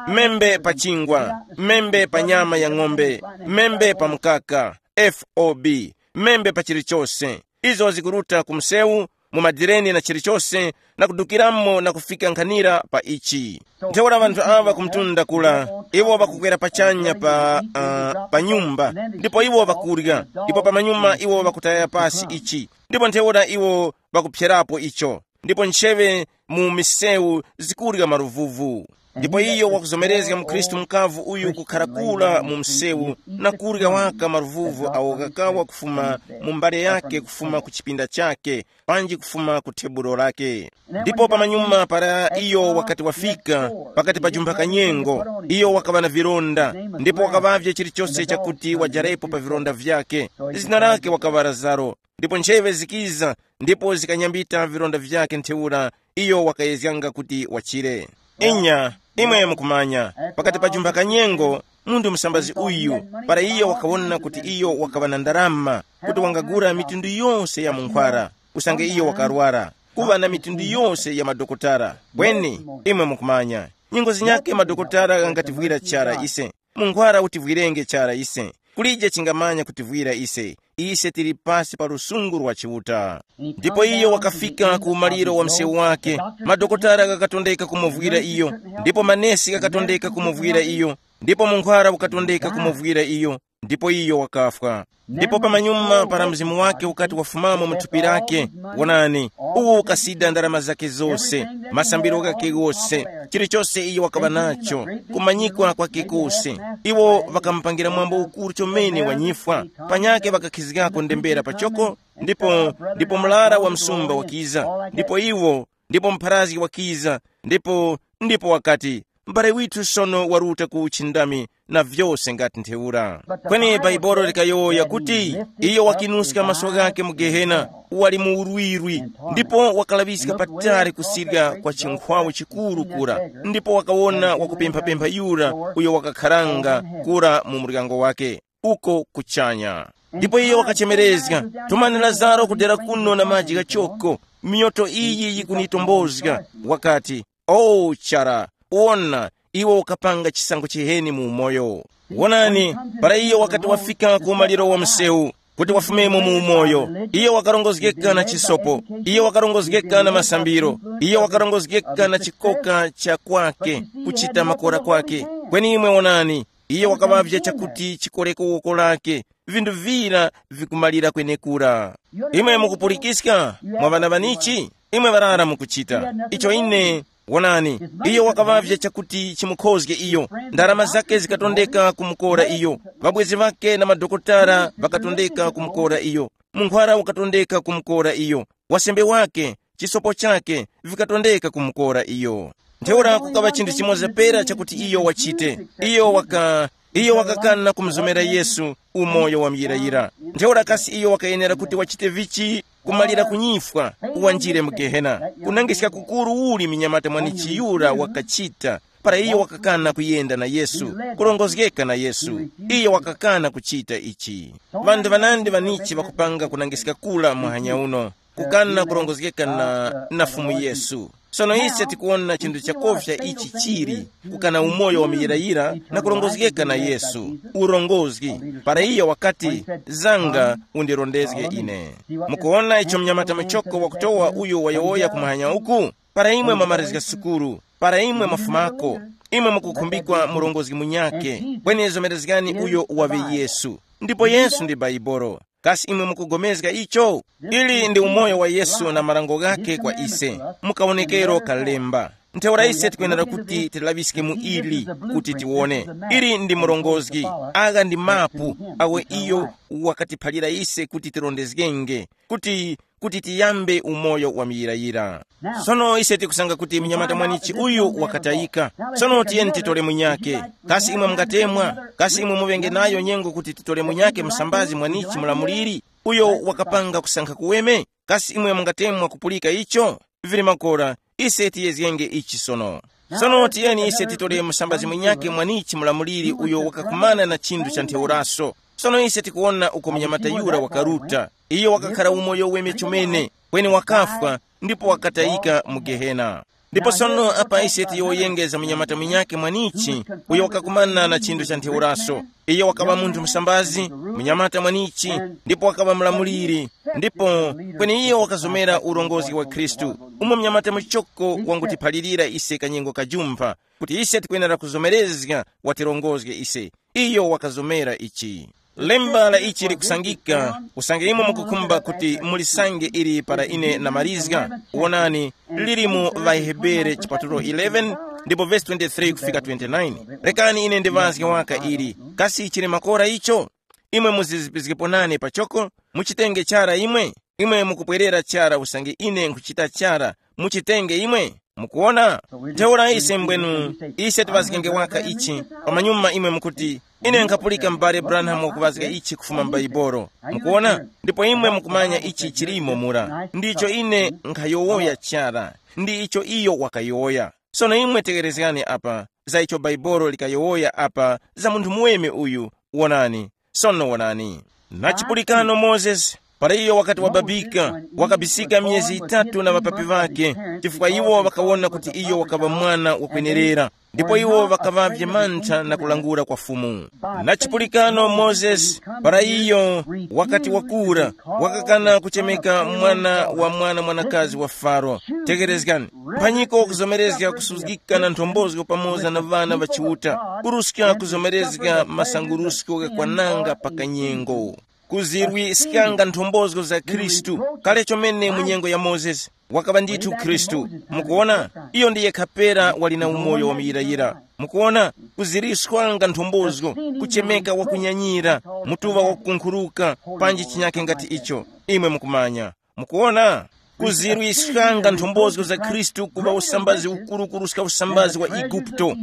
Membe pa chingwa, membe pa nyama ya ng'ombe, membe pa mkaka, fob, membe pa chilichose. Izo zikuruta ku msewu, mu madireni na chilichose, na kudukiramo na kufika nkhanira pa ichi. Ntheura ŵanthu aŵa kumtunda kula, iwo ŵakukwera pachanya pa, uh, pa nyumba, ndipo iwo ŵakurya, ndipo pamanyuma iwo ŵakutaya pasi ichi, ndipo ntheura iwo ŵakuphyerapo icho, ndipo ncheŵe mu misewu zikurya maluvuvu. Ndipo iyo wakuzomerezga mukhristu mukavu uyu kukhara kula mu msewu na kurya waka maluvuvu awo ghakawa kufuma mu mbale yake, kufuma ku chipinda chake, panji kufuma ku thebulo lake. Ndipo pamanyuma para iyo wakati wafika pakati pa jumba kanyengo, iyo wakaŵa na vironda, ndipo wakaŵavye chilichose chakuti wajarepo pa vironda vyake. Zina lake wakaŵa Lazaro. Ndipo ncheŵe zikiza, ndipo zikanyambita vironda vyake ntheura, iyo wakayezganga kuti wachire. Inya, imwe mukumanya, pakati pa jumba kanyengo, munthu musambazi uyu, para iyo wakawona kuti iyo wakaŵa na ndarama, kuti wangagura mitundu yose ya munkhwara, usange iyo wakarwara, kuŵa na mitundu yose ya madokotala. Kweni, imwe mukumanya, nyengo zinyakhe madokotala ghangativwira chara ise. Munkhwara utivwirenge chara ise. Kulije chingamanya kutivwira ise. Ise tili pasi pa lusungu lwa Chiuta. Ndipo iyo wakafika ku umaliro wa msewu wake. Madokotala ghakatondeka kumuvwira iyo, ndipo manesi ghakatondeka kumuvwira iyo, ndipo munkhwara ukatondeka kumuvwira iyo, ndipo iyo wakafwa. Ndipo pamanyuma para mzimu wake ukati wafumamo mu thupi lake, wonani, uwo ukasida ndarama zake zose, masambiro ghake ghose, chilichose iyo wakaŵa nacho, kumanyikwa kwake kose. Iwo ŵakamupangira mwambo ukuru chomene wa nyifwa, panyakhe ŵakakhizgako ndembera pachoko, ndipo ndipo mlara wa msumba wakiza, ndipo iwo ndipo mpharazgi wakiza, ndipo ndipo wakati, mbale withu sono waruta ku uchindami, na vyose ngati ntheura. Kweni Bhaibuli likayowoya kuti, iyo wakinuska maso ghake mu Gehena, wali mu urwirwi, ndipo wakalaŵiska patali kusirya kwa chinkhwawu chikuru kura, ndipo wakawona wakupemphapempha yura uyo wakakharanga kura mu muryango wake, uko kuchanya. Ndipo iyo wakachemerezga, tumani Lazaro kudera kuno na maji ghachoko, miyoto iyi yikunitombozga. Wakati, o chara, wona, iwe ukapanga chisankho chiheni mu umoyo. Wonani, para iyo wakati wafika ku umaliro wa msewu, kuti wafumemo mu umoyo, iyo wakarongozgeka na chisopo, iyo wakarongozgeka na masambiro, iyo wakarongozgeka na chikoka cha kwake, kuchita makora kwake. Kweni imwe wonani, iyo wakaŵavya chakuti chikoreko woko lake, vinthu vira vikumalira kwenekura. Imwe mukupulikiska, mwa ŵana ŵanichi? Imwe ŵarara mukuchita icho ine. Wonani, iyo wakaŵavya chakuti chimukhozge iyo. Ndarama zake zikatondeka kumukora iyo. Ŵabwezi ŵake na madokotala ŵakatondeka kumukora iyo. Munkhwara ukatondeka kumukora iyo. Wasembe wake, chisopo chake, vikatondeka kumukora iyo. Ntheura kukaŵa chinthu chimoza pera chakuti iyo wachite. Iyo waka iyo wakakana kumuzomera Yesu, umoyo wa muyirayira. Ntheura kasi iyo wakayenera kuti wachite vichi? Kumalira kunyifwa, uwanjire mu Gehena. Kunangiska kukuru uli minyamata mwanichi yura wakachita, Para iyo wakakana kuyenda na Yesu, kurongozgeka na Yesu, iyo wakakana kuchita ichi. Ŵanthu ŵanandi ŵanichi ŵakupanga kunangiska kula muhanya uno, kukana kurongozgeka na, na Fumu Yesu. Sono ise tikuwona chinthu chakofya ichi chili, kukana umoyo wa muyirayira na kurongozgeka na Yesu, urongozgi, para iyo wakati, zanga, undirondezge ine. Mukuwona icho mnyamata muchoko wakutowa uyo wayowoya kumuhanya uku? Para imwe mwamarizga sukulu, para imwe mwafumako, imwe mukukhumbikwa murongozgi munyakhe, kweni zomerezgani uyo waŵe Yesu. Ndipo Yesu ndi Baibolo. Kasi imwe mukugomezga icho? Ili ndi umoyo wa Yesu na marango ghakhe kwa ise, mukawonekero kalemba. Ntheura ise tikwenera kuti tilaŵiske mu ili, kuti tiwone. Ili ndi murongozgi, agha ndi mapu, awe iyo wakatiphalira ise kuti tirondezgenge, kuti kuti tiyambe umoyo wa muyirayira. Sono ise tikusanga kuti mnyamata mwanichi uyu wakatayika. Sono tiyeni titole munyakhe. Kasi imwe mungatemwa? Kasi imwe muŵenge nayo nyengo kuti titole munyakhe msambazi mwanichi mulamuliri, uyo wakapanga kusankha kuweme? Kasi imwe mungatemwa kupulika icho? Vili makora, ise tiyezgenge ichi sono. Sono tiyeni ise titole msambazi munyakhe mwanichi mulamuliri uyo wakakumana na chinthu cha ntheuraso. Sono ise tikuwona uko mnyamata yura wakaruta. Iyo wakakhara umoyo weme chomene, kweni wakafwa, ndipo wakatayika mu Gehena. Ndipo sono apa ise tiyowoyengeza munyamata munyakhe mwanichi, uyo wakakumana na chinthu cha ntheuraso. Iyo wakaŵa munthu msambazi, munyamata mwanichi, ndipo wakaŵa mlamuliri. Ndipo kweni iyo wakazomera urongozi wa Khristu, umo munyamata muchoko wangutiphalirira ise kanyengo kajumpha, kuti ise tikwenera kuzomerezga watirongozge ise. Iyo wakazomera ichi. Lemba la ichi likusangika, usange imwe mukukhumba kuti mulisange ili para ine namarizga, wonani, lili mu ŵaHebere chipatulo eleven, ndipo vesi twenty-three kufika twenty-nine. Rekani ine ndiŵazge waka ili. Kasi chili makora icho? Imwe muzizipizgepo nane pachoko, muchitenge chara imwe. Imwe mukupwerera chara usange ine nkhuchita chara, muchitenge imwe. Mukuwona? Ntheura ise mbwenu, ise tiŵazgenge waka ichi, pamanyuma imwe mukuti, ine nkhapulika m'bale Branham wakuŵazga ichi kufuma m'Baibolo. Mukuwona? Ndipo imwe mukumanya ichi chilimo mura. Ndicho ine nkhayowoya chara. Ndi icho iyo wakayowoya. Sono imwe tekerezgani apa, za icho Baibolo likayowoya apa, za munthu muweme uyu, wonani. Sono wonani. Na chipulikano Mozesi, para iyo wakati wababika, wakabisika miyezi yitatu na ŵapapi ŵakhe, chifukwa iwo ŵakawona kuti iyo wakaŵa mwana wakwenerera. Ndipo iwo ŵakaŵavye mantha na kulangula kwa Fumu. Na chipulikano Mozesi, para iyo wakati wakura, wakakana kuchemeka mwana wa mwana mwanakazi wa Faro. Tekerezgani, mphanyiko wakuzomerezga kusuzgika na nthombozo pamoza na ŵana ŵa Chiuta, kuruska kuzomerezga masangurusko ghakwananga pa kanyengo. Kuzirwiskanga nthombozo za Khristu, kale chomene mu nyengo ya Mozesi, wakaŵa ndithu Khristu. Mukuona, iyo ndi yekha pera wali na umoyo wa muyirayira. Mukuona, kuziriswanga nthombozo, kuchemeka wakunyanyira, mutuŵa wakukunkhuruka, panji chinyake ngati icho. Imwe mukumanya. Mukuona, kuzirwiskanga nthombozo za Khristu kuŵa usambazi ukuru kuruska usambazi wa Igupto,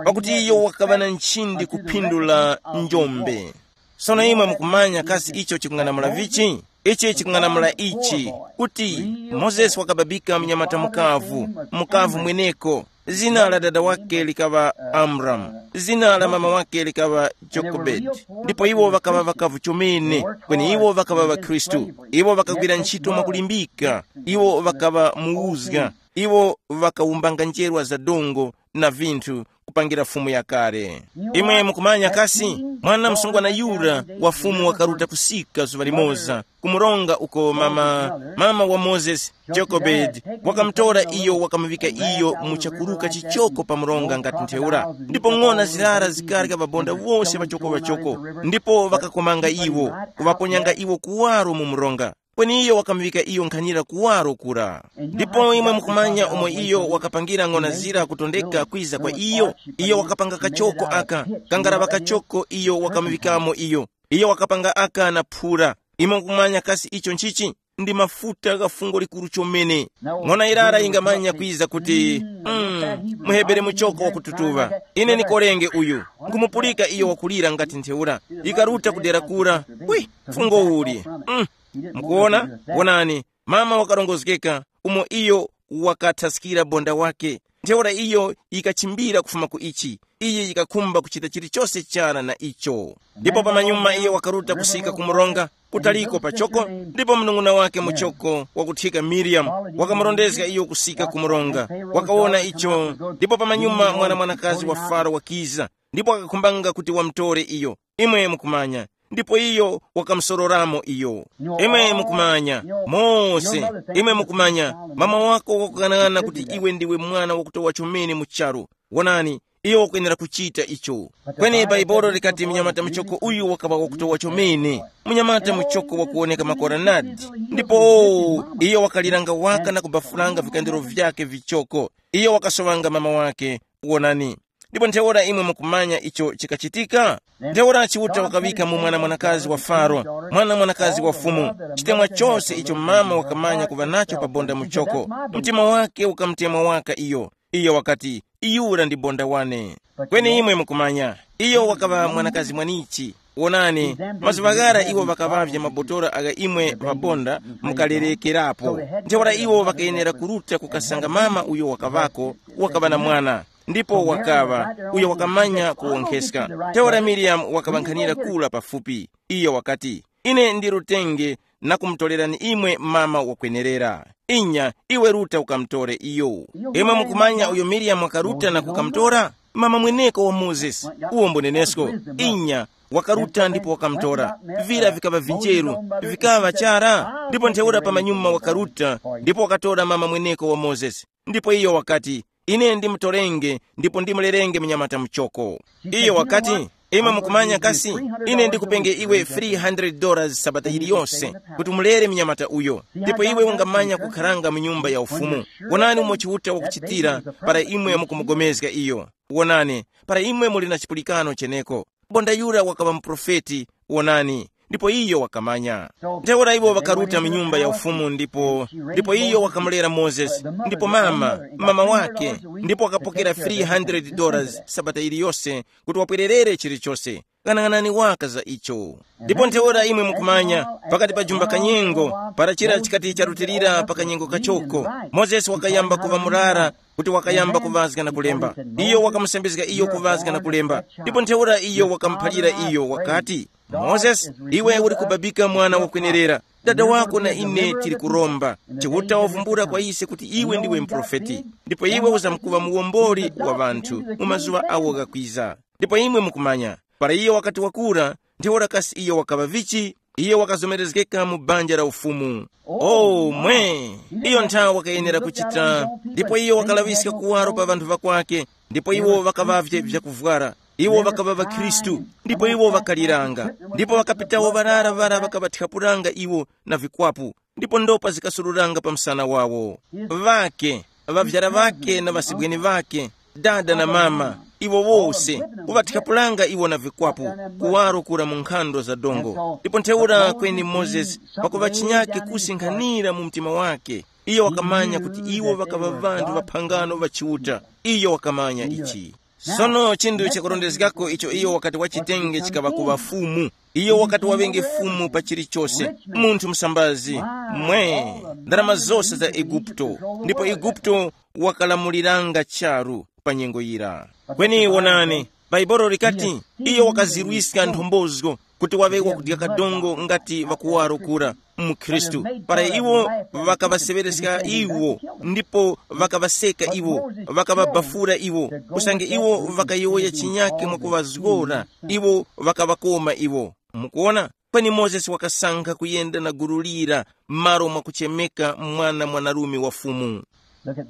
pakuti iyo wakaŵa na nchindi kuphindula njombe. Sono imwe mukumanya kasi icho chikung'anamula vichi? Ichi chikung'anamula ichi, kuti Mozesi wakababika mnyamata mukavu, mukavu mweneko. Zina la dada wake likaŵa Amramu, zina la mama wake likaŵa Jokobedi. Ndipo iwo ŵakaŵa ŵakavu chomene, kweni iwo ŵakaŵa ŵakhristu. Iwo ŵakagwira ntchito mwakulimbika. Iwo ŵakaŵa muwuzga. Iwo ŵakawumbanga njerwa za dongo na vinthu kupangira fumu yakale. Imwe mukumanya kasi, mwana msungwana yura wa fumu wakaruta kusika zuŵa limoza, kumuronga uko mama, mama wa Mozesi, Jokobedi, wakamutora iyo, wakamuŵika iyo mu chakuruka chichoko pa mronga ngati ntheura. Ndipo ng'ona zirara zikarya ŵabonda wose ŵachoko-ŵachoko, ndipo ŵakakomanga iwo, kuŵaponyanga iwo kuwaro mu mronga. Kweni iyo wakamuŵika iyo nkhanira kuwaro kura. Ndipo imwe mukumanya umo iyo wakapangira ng'ona zira kutondeka kwiza kwa iyo. Iyo wakapanga kachoko aka, kangaraŵa kachoko iyo wakamuŵikamo iyo. Iyo wakapanga aka na phura. Imwe mukumanya kasi icho nchichi? Ndi mafuta gha fungo likuru chomene. Ng'ona irara yingamanya kwiza kuti, mm, muhebere muchoko wakututuŵa. Ine ndikorenge uyu. Nkhumupulika iyo wakulira ngati ntheura. Ikaruta kudera kura. Wi, fungo uli. Mm. Mukuona? Wonani, mama wakarongozgeka, umo iyo wakathaskira bonda wake. Ntheura iyo yikachimbira kufuma ku ichi. Iye yikakhumba kuchita chilichose chara na icho. Ndipo pamanyuma iye wakaruta kusika ku mronga, kutaliko pachoko, ndipo mnung'una wake muchoko wakuthika Miriyamu wakamurondezga iyo kusika ku mronga. Wakawona icho, ndipo pamanyuma mwana mwanakazi wa Faro wakiza, ndipo wakakhumbanga kuti wamutore iyo. Imwe mukumanya, ndipo iyo wakamusororamo iyo. Imwe mukumanya, Mose, imwe mukumanya, mama wako wakukang'ana kuti iwe ndiwe mwana wakutowa chomene mu charu. Wonani, iyo wakwenera kuchita icho. Kweni Baibolo likati mnyamata muchoko uyu wakaŵa wakutowa chomene, mnyamata muchoko wakuwoneka makoranadi. Ndipo iyo wakaliranga waka na kubafulanga vikandiro vyake vichoko. Iyo wakasowanga mama wake. Wonani. Ndipo ntheura imwe mukumanya icho chikachitika. Ntheura Chiuta wakaŵika mu mwana mwanakazi wa Faro, mwana mwanakazi wa fumu, chitemwa chose icho mama wakamanya kuŵa nacho pa bonda muchoko. Mtima wake ukamutemwa waka iyo. Iyo wakati, iyura ndi bonda wane. Kweni imwe mukumanya, iyo wakaŵa mwanakazi mwanichi. Wonani, mazuŵa ghara iwo ŵakaŵavye mabotora agha imwe ŵabonda mukalerekerapo. Ntheura iwo ŵakayenera kuruta kukasanga mama uyo wakaŵako, wakaŵa na mwana. Ndipo wakaŵa uyo wakamanya kuwonkheska. Ntheura Miriyamu wakaŵankhanira kula pafupi. Iyo wakati, ine ndirutenge na kumutorerani imwe mama wakwenerera. Inya, iwe ruta ukamutore iyo. Imwe mukumanya uyo Miriyamu wakaruta na kukamutora? Mama mweneko wa Mozesi, uwo mbunenesko. Inya, wakaruta ndipo wakamutora. Vira vikaŵa vinjeru, vikaŵa chara. Ndipo ntheura pamanyuma wakaruta, ndipo wakatora mama mweneko wa Mozesi. Ndipo iyo wakati, ine ndimutorenge ndipo ndimulerenge mnyamata muchoko. Iyo wakati, imwe mukumanya kasi, ine ndikupenge iwe three hundred dollars sabata yiliyose kuti umulere mnyamata uyo, ndipo iwe ungamanya kukharanga mu nyumba ya ufumu. Wonani umo Chiuta wakuchitira para imwe mukumugomezga iyo. Wonani, para imwe muli na chipulikano cheneko. Bonda yura wakaŵa muprofeti, wonani, ndipo iyo wakamanya. Ntheura iwo ŵakaruta mu nyumba ya ufumu ndipo, ndipo iyo wakamulera Mozesi, ndipo mama, mama wake, ndipo wakapokera three hundred dollars sabata iliyose kuti wapwererere chilichose. Ghanaghanani waka za icho. Ndipo ntheura imwe mukumanya, pakati pa jumba kanyengo, para chira chikati charutilira pa kanyengo kachoko, Mozesi wakayamba kuŵa murara, kuti wakayamba kuŵazga na kulemba. Iyo wakamusambizga iyo kuŵazga na kulemba. Ndipo ntheura iyo wakamuphalira iyo wakati, Mozesi, iwe uli kubabika mwana wakwenerera. Dada wako na ine tili kuromba. Chiuta wavumbula kwa ise kuti iwe ndiwe muprofeti, ndipo iwe uzamkuŵa muwomboli wa ŵanthu mu mazuŵa awo ghakwiza. Ndipo imwe mukumanya, para iyo wakati wakura, ntheura kasi iyo wakaŵa vichi? Iyo wakazomerezgeka mu banja la ufumu. O mwe! Iyo nthawi wakayenera kuchita. Ndipo iyo wakalaŵiska kuwaro pa ŵanthu ŵakwake, ndipo iwo ŵakaŵavye vyakuvwara. Iwo ŵakaŵa ŵakhristu, ndipo iwo ŵakaliranga. Ndipo ŵakapitawo ŵarara ŵara ŵakaŵathyapuranga iwo na vikwapu, ndipo ndopa zikasururanga pa msana wawo. Ŵake, ŵavyara ŵake na ŵasibweni ŵake, dada na mama, iwo wose, kuŵathyapulanga iwo na vikwapu, kuwaro kura mu nkhando za dongo. Ndipo ntheura kweni Mozesi, pakuŵa chinyake kusi nkhanira mu mtima wake, iyo wakamanya kuti iwo ŵakaŵa ŵanthu ŵa phangano ŵa Chiuta. Iyo wakamanya ichi. Sono chinthu chakurondezgako icho iyo wakati wachitenge chikaŵa kuŵa fumu. Iyo wakati waŵenge fumu pa chilichose, munthu musambazi, mwe, ndarama zose za Eguputo. Ndipo Eguputo wakalamuliranga charu pa nyengo yira. Kweni wonani, Baibolo likati, iyo wakazirwiska nthombozo kuti waŵe wakudya kadongo ngati ŵakuwaro kura mu Khristu. Para iwo ŵakaŵaseŵereska iwo, ndipo ŵakaŵaseka iwo, ŵakaŵabafura iwo, usange iwo ŵakayowoya chinyake mwakuŵazgora, iwo ŵakaŵakoma iwo. Mukuona? Kweni Mozesi wakasankha kuyenda na gulu lira m'malo mwakuchemeka mwana mwanarume wa Fumu.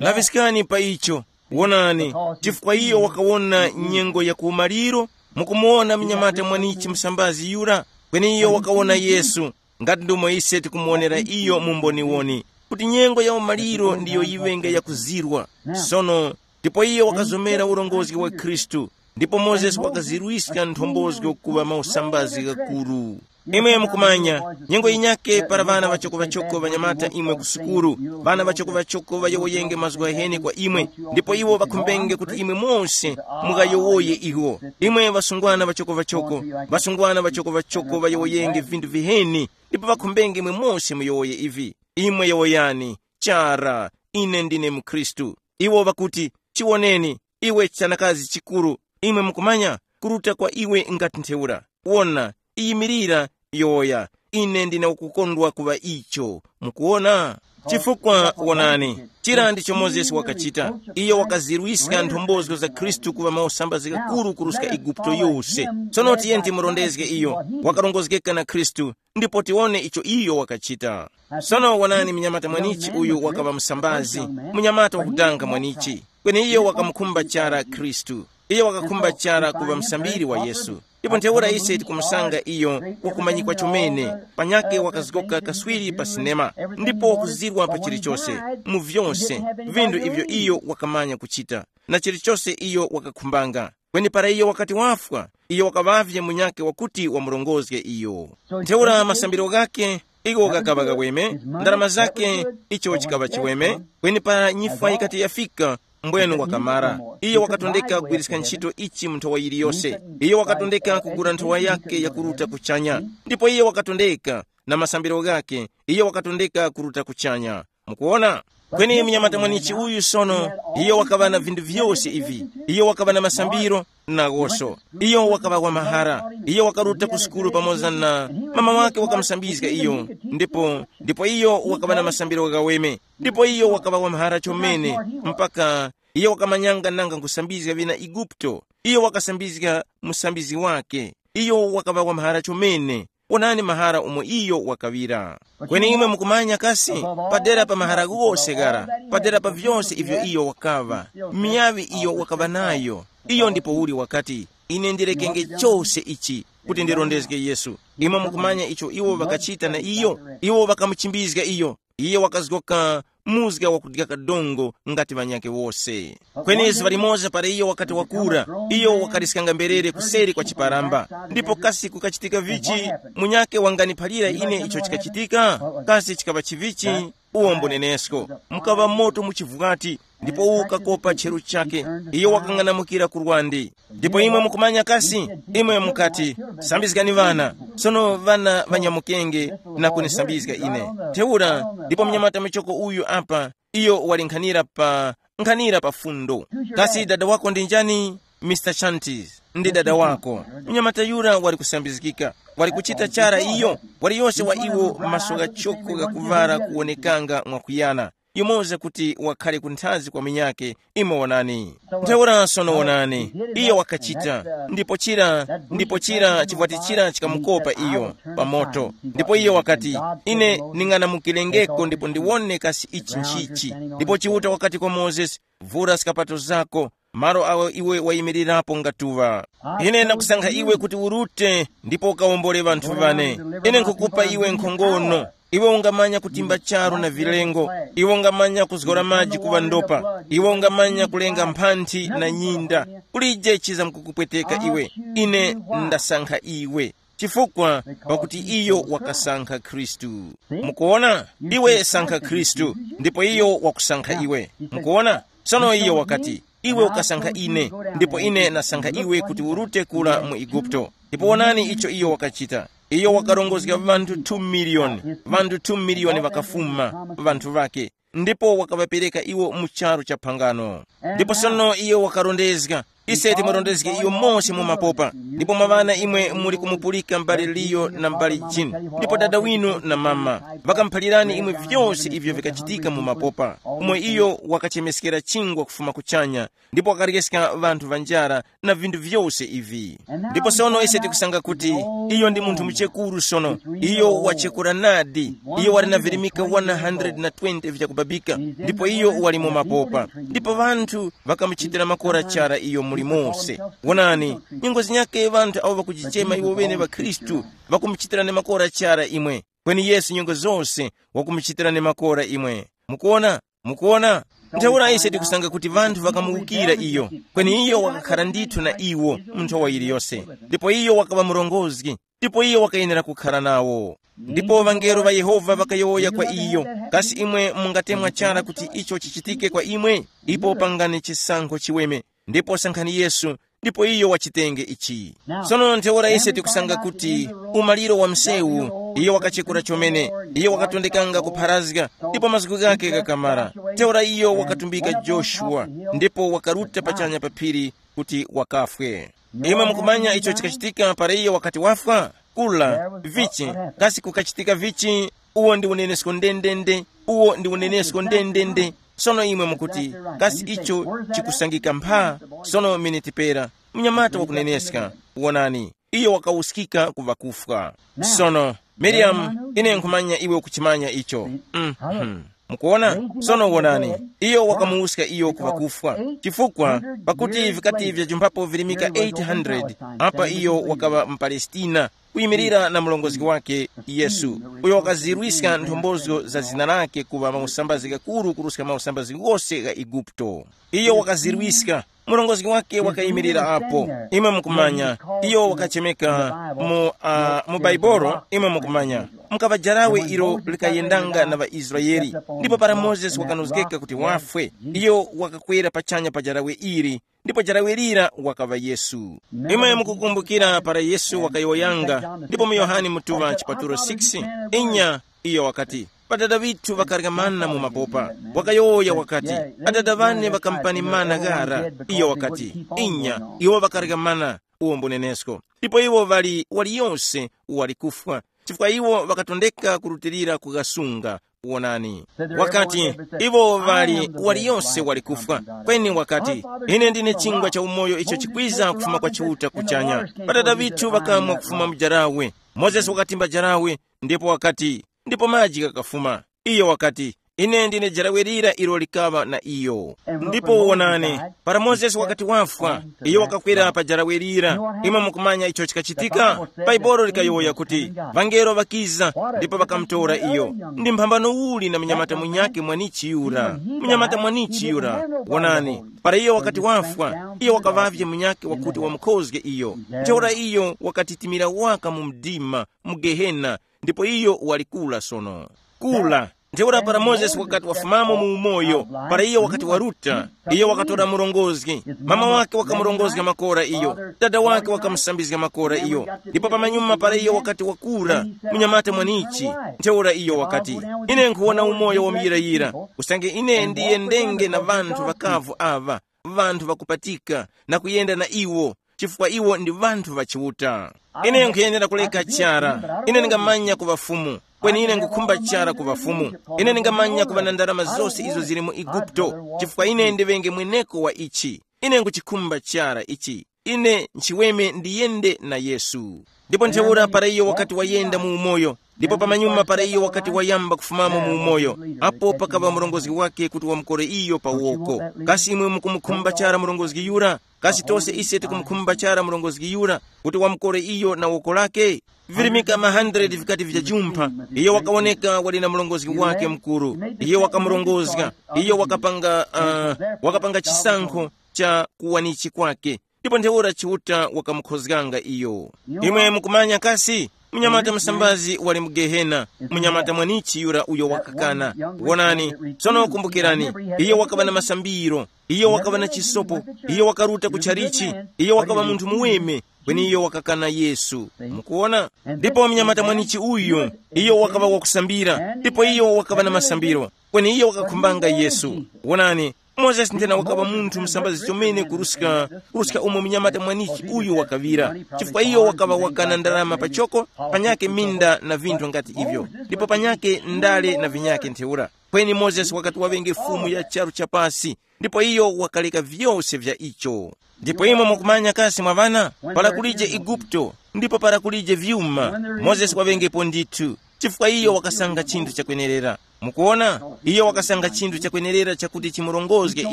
Laŵiskani pa icho. Wonani, chifukwa iyo wakawona nyengo ya kumaliro, mukumuwona mnyamata mwanichi musambazi yura, kweni iyo wakawona Yesu, ngati ndomwe ise tikumuwonera iyo mu mboniwoni, kuti nyengo ya umaliro ndiyo yiŵenge yakuzirwa. Sono, ndipo iyo wakazomera urongozgi wa Khristu, ndipo Mozesi wakazirwiska nthombozo kuŵa mausambazi ghakuru. Imwe mukumanya, nyengo yinyake para ŵana ŵachokoŵachoko ŵanyamata imwe ku sukulu, ŵana ŵachokoŵachoko ŵayowoyenge mazgu ghaheni kwa imwe, ndipo iwo ŵakhumbenge kuti imwe mose mughayowoye iwo. Imwe ŵasungwana ŵachokoŵachoko, ŵasungwana ŵachokoŵachoko ŵayowoyenge vinthu viheni, ndipo ŵakhumbenge imwe mose muyowoye ivi. Imwe yowoyani, chara, ine ndine mukhristu. Iwo ŵakuti, Chiwoneni, iwe chanakazi chikuru, imwe mukumanya, kuruta kwa iwe ngati ntheura. Wona, iyimirira, yowoya, ine ndine wakukondwa kuŵa icho. Mukuwona? Chifukwa wonani, chira ndicho Mozesi wakachita. Iyo wakazirwiska nthombozo za Khristu kuŵa mausambazgi ghakuru kuruska Eguputo yose. Tsono tiyeni timurondezge iyo, wakarongozgeka na Khristu, ndipo tiwone icho iyo wakachita. Sono wonani, mnyamata mwanichi uyu wakaŵa musambazi, munyamata wakudanga mwanichi. Kweni iyo wakamukhumba chara Khristu. Iyo wakakhumba chara kuŵa musambiri wa Yesu. Ndipo ntheura ise tikumusanga iyo wakumanyikwa chomene, panyakhe wakazgoka kaswiri pa sinema, ndipo wakuzirwa pa chilichose, mu vyose, vinthu ivyo iyo wakamanya kuchita, na chilichose iyo wakakhumbanga. Kweni para iyo wakati wafwa, iyo wakaŵavye munyakhe wakuti wamurongozge iyo. Ntheura masambiro ghakhe, igho ghakaŵa ghaweme, ndarama zakhe, icho chikaŵa chiweme. Kweni para nyifwa yikati yafika, mbwenu wakamara. Iyo wakatondeka kugwiriska ntchito ichi mu nthowa yiliyose. Iyo wakatondeka kugula nthowa yakhe yakuruta kuchanya. Ndipo iyo wakatondeka na masambiro ghakhe, iyo wakatondeka kuruta kuchanya. Mukuona? Kweni mnyamata mwanichi uyu sono, iyo wakaŵa na vinthu vyose ivi. Iyo wakaŵa na masambiro, nawoso. Iyo wakaŵa wa mahara. Iyo wakaruta ku sukulu pamoza na mama wake wakamusambizga iyo. Ndipo, ndipo iyo wakaŵa na masambiro ghaweme. Ndipo iyo wakaŵa wa mahara chomene, mpaka iyo wakamanyanga nanga nkusambizga vina Eguputo. Iyo wakasambizga musambizi wake. Iyo wakaŵa wa mahara chomene. Wonani mahara umo iyo wakaŵira. Kweni imwe mukumanya kasi, padera pa mahara ghose ghara, padera pa vyose ivyo iyo wakaŵa, miyaŵi iyo wakaŵa nayo, iyo ndipo uli wakati, ine ndirekenge chose ichi, kuti ndirondezge Yesu. Imwe mukumanya icho iwo ŵakachita na iyo? Iwo ŵakamuchimbizga iyo. Iye wakazgoka muzga wakudya kadongo ngati ŵanyakhe wose. Kweni zuŵa limoza para iyo wakati wakura, iyo wakaliskanga mberere kuseri kwa chiparamba. Ndipo kasi kukachitika vichi? Munyakhe wanganiphalira ine icho chikachitika? Kasi chikaŵa chivichi? Uwo mbunenesko. Mukaŵa moto mu chivwati, ndipo ukakopa cheru chake. Iyo wakang'anamukira ku lwande. Ndipo imwe mukumanya kasi, imwe mukati, sambizgani ŵana. Sono ŵana ŵanyamukenge na kunisambizga ine. Ntheura, ndipo mnyamata michoko uyu apa, iyo wali nkhanira pa nkhanira pa fundo. Kasi dada wako ndi njani? Mister Chantis ndi dada wako. Mnyamata yura wali kusambizgika, wali kuchita chara iyo. Wali yose wa iwo maso ghachoko ghakuvara kuwonekanga mwakuyana, yumoza kuti wakhale kunthazi kwa munyakhe. Imwe wonani. Ntheura sono wonani, iyo wakachita, ndipo chira ndipo chira chivwati chira chikamukopa iyo pa moto. Ndipo iyo wakati, ine ning'anamukirengeko ndipo ndiwone kasi ichi nchichi. Ndipo Chiuta wakati kwa Mozesi, vura skapato zako, malo awo iwe wayimirirapo ngatuŵa. Ine ndakusankha iwe kuti urute ndipo ukawombole ŵanthu ŵane. Ine nkhukupa iwe nkhongono. Iwe ungamanya kutimba charu na vilengo. Iwe ungamanya kuzgora maji kuŵa ndopa. Iwe ungamanya kulenga mphanthi na nyinda. Kulije chizamkukupweteka iwe. Ine ndasankha iwe. Chifukwa pakuti iyo wakasankha Khristu. Mukuona? Iwe sankha Khristu, ndipo iyo wakusankha iwe. Mukuona? Sono iyo wakati, iwe ukasankha ine, ndipo ine nasankha iwe kuti urute kula mu Eguputo. Ndipo wonani icho iyo wakachita. Iyo wakarongozga ŵanthu two miliyoni, ŵanthu two miliyoni ŵakafuma, ŵanthu ŵake, ndipo wakaŵapereka iwo mu charu cha phangano. Ndipo sono iyo wakarondezga, ise timurondezge iyo mose mu mapopa, ndipo mwa ŵana imwe muli kumupulika m'bale Liyo na m'bale Jini, ndipo dada winu na mama, ŵakamuphalirani imwe vyose ivyo vikachitika mu mapopa, umo iyo wakachemeskera chingwa kufuma kuchanya, ndipo wakaryska ŵanthu ŵa njara na vinthu vyose ivi. Ndipo sono ise tikusanga kuti iyo ndi munthu muchekuru sono. Iyo wachekura nadi. Iyo wali na virimika one hundred na twenty vyakubabika, ndipo iyo wali mu mapopa. Ndipo ŵanthu ŵakamuchitira makora chara iyo muli mose. Wonani, nyengo zinyakhe ŵanthu awo ŵakujichema iwo ŵene ŵakhristu, ŵakumuchitirani makora chara imwe. Kweni Yesu nyengo zose wakumuchitirani makora imwe. Mukuona? Mukuona? Ntheura ise tikusanga kuti ŵanthu ŵakamuwukira iyo, kweni iyo wakakhara ndithu na iwo mu nthowa yiliyose. Ndipo iyo wakaŵa murongozgi, ndipo iyo wakayenera kukhara nawo. Ndipo ŵangelo ŵa Yehova ŵakayowoya kwa iyo, kasi imwe mungatemwa chara kuti icho chichitike kwa imwe? Ipo pangani chisankho chiweme, ndipo sankhani Yesu, ndipo iyo wachitenge ichi. Sono ntheura ise tikusanga kuti umaliro wa msewu, iyo wakachekura chomene, iyo wakatondekanga kupharazga, ndipo mazgu ghake ghakamara. Ntheura iyo wakatumbika Joshua, ndipo wakaruta pachanya pa phiri kuti wakafwe. Imwe mukumanya icho chikachitika para iyo wakati wafwa? Kula, vichi, kasi kukachitika vichi? Uwo ndi unenesko ndendende, uwo ndi unenesko ndendende. Sono imwe mukuti, kasi icho chikusangika mpha? Sono miniti pera, mnyamata wakuneneska, wonani, iyo wakawuskika ku ŵakufwa. Sono, Miriam, ine nkhumanya iwe ukuchimanya icho. Mm-hmm. Mukuona? Sono wonani, iyo wakamuwuska iyo ku ŵakufwa. Chifukwa, pakuti vikati vyajumphapo virimika eight hundred, apa iyo wakaŵa mu Palestina, kuyimirira na murongozgi wake Yesu, uyo wakazirwiska nthombozo za zina lake kuŵa mausambazi ghakuru kuruska mausambazi ghose gha Eguputo. Iyo wakazirwiska, murongozgi wake wakayimirira apo. Imwe mukumanya, iyo wakachemeka mu, uh, mu Baibolo, imwe mukumanya, mukaŵa jarawe ilo likayendanga na ŵaIsraele. Ndipo para Mozesi wakanozgeka kuti wafwe, iyo wakakwera pachanya pa jarawe ili, ndipo jarawe lira wakaŵa Yesu. Imwe mukukumbukira para Yesu wakayowoyanga, ndipo mu Yohane mutuŵa chipatulo six, inya, iyo wakati, pa Dada ŵithu ŵakarya mana mu mapopa. Wakayowoya wakati, Adada ŵane ŵakampani mana ghara. Iyo wakati, inya, iwo ŵakarya mana, uwo mbunenesko. Ndipo iwo ŵali waliyose wali kufwa, chifukwa iwo ŵakatondeka kurutilira kughasunga. Wonani, wakati, iwo ŵali waliyose wali kufwa. Kweni wakati, ine ndine chingwa cha umoyo icho chikwiza kufuma kwa Chiuta kuchanya. Ŵadada ŵithu ŵakamwa kufuma mu jarawe. Mozesi wakatimba jarawe, ndipo wakati, ndipo maji ghakafuma. Iyo wakati, ine ndine jarawe lira ilo likaŵa na iyo. Ndipo wonani, para Mozesi wakati wafwa, iyo wakakwera pa jarawe lira. Imwe mukumanya icho chikachitika? Baibolo likayowoya kuti, vangelo ŵakiza, ndipo ŵakamutora iyo. Ndi mphambano uli na munyamata munyakhe mwanichi yura? Munyamata mwanichi yura, wonani, para iyo wakati wafwa, iyo wakaŵavye munyakhe wakuti wamukhozge iyo. Ntheura iyo wakatitimira waka mu mdima, mu Gehena, ndipo iyo wali kula sono. Kula. Ntheura para Mozesi wakati wafumamo mu umoyo, para iyo wakati waruta, iyo wakatora murongozgi. Mama wake wakamurongozga makora iyo, dada wake wakamusambizga makora iyo. Ndipo pamanyuma para iyo wakati wakura, munyamata mwanichi, ntheura iyo wakati, ine nkhuwona umoyo wa muyirayira, usange ine ndiyendenge na ŵanthu ŵakavu aŵa, ŵanthu ŵakupatika, na kuyenda na iwo, chifukwa iwo ndi ŵanthu ŵa Chiuta. Ine nkhuyenera kuleka chara. Ine ndingamanya kuŵa Fumu, kweni ine nkhukhumba chara kuŵa Fumu. Ine ndingamanya kuŵa na ndarama zose izo zili mu Eguputo, chifukwa ine ndiŵenge mweneko wa ichi. Ine nkhuchikhumba chara ichi. Ine nchiweme ndiyende na Yesu. Ndipo ntheura para iyo wakati wayenda mu umoyo, ndipo pamanyuma para iyo wakati wayamba kufumamo mu umoyo, apo pakaŵa murongozgi wake kuti wamukore iyo pa woko. Kasi imwe mukumukhumba chara murongozgi yura? Kasi tose ise tikumukhumba chara murongozgi yura kuti wamukore iyo na woko lake? Virimika ma hundred vikati vijajumpha, iyo wakawoneka wali na murongozgi wake mukuru. Iyo wakamurongozga, iyo wakapanga, uh, wakapanga chisankho cha kuwanichi kwake. Ndipo ntheura Chiuta wakamukhozganga iyo. Imwe mukumanya kasi, munyamata musambazi wali mu Gehena, munyamata mwanichi yura uyo wakakana. Wonani, sono kumbukirani, iyo wakaŵa na masambiro, iyo wakaŵa na chisopo, iyo wakaruta ku chalichi, iyo wakaŵa munthu muweme, kweni iyo wakakana Yesu. Mukuona? Ndipo munyamata mwanichi uyu, iyo wakaŵa wakusambira, ndipo iyo wakaŵa na masambiro, kweni iyo wakakhumbanga Yesu. Wonani, Mozesi ndena wakaŵa munthu musambazi chomene kuruska, kuruska umo munyamata mwanichi uyu wakaŵira, chifukwa iyo wakaŵa wakana ndarama pachoko, panyake minda na vinthu ngati ivyo, ndipo panyake ndale na vinyake ntheura. Kweni Mozesi wakati waŵenge fumu ya charu cha pasi, ndipo iyo wakaleka vyose vya icho. Ndipo imwe mukumanya kasi mwa ŵana, para kulije Eguputo, ndipo para kulije vyuma, Mozesi waŵengepo ndithu, chifukwa iyo wakasanga chinthu chakwenerera. Mukuona, iyo wakasanga chinthu chakwenerera chakuti chimurongozge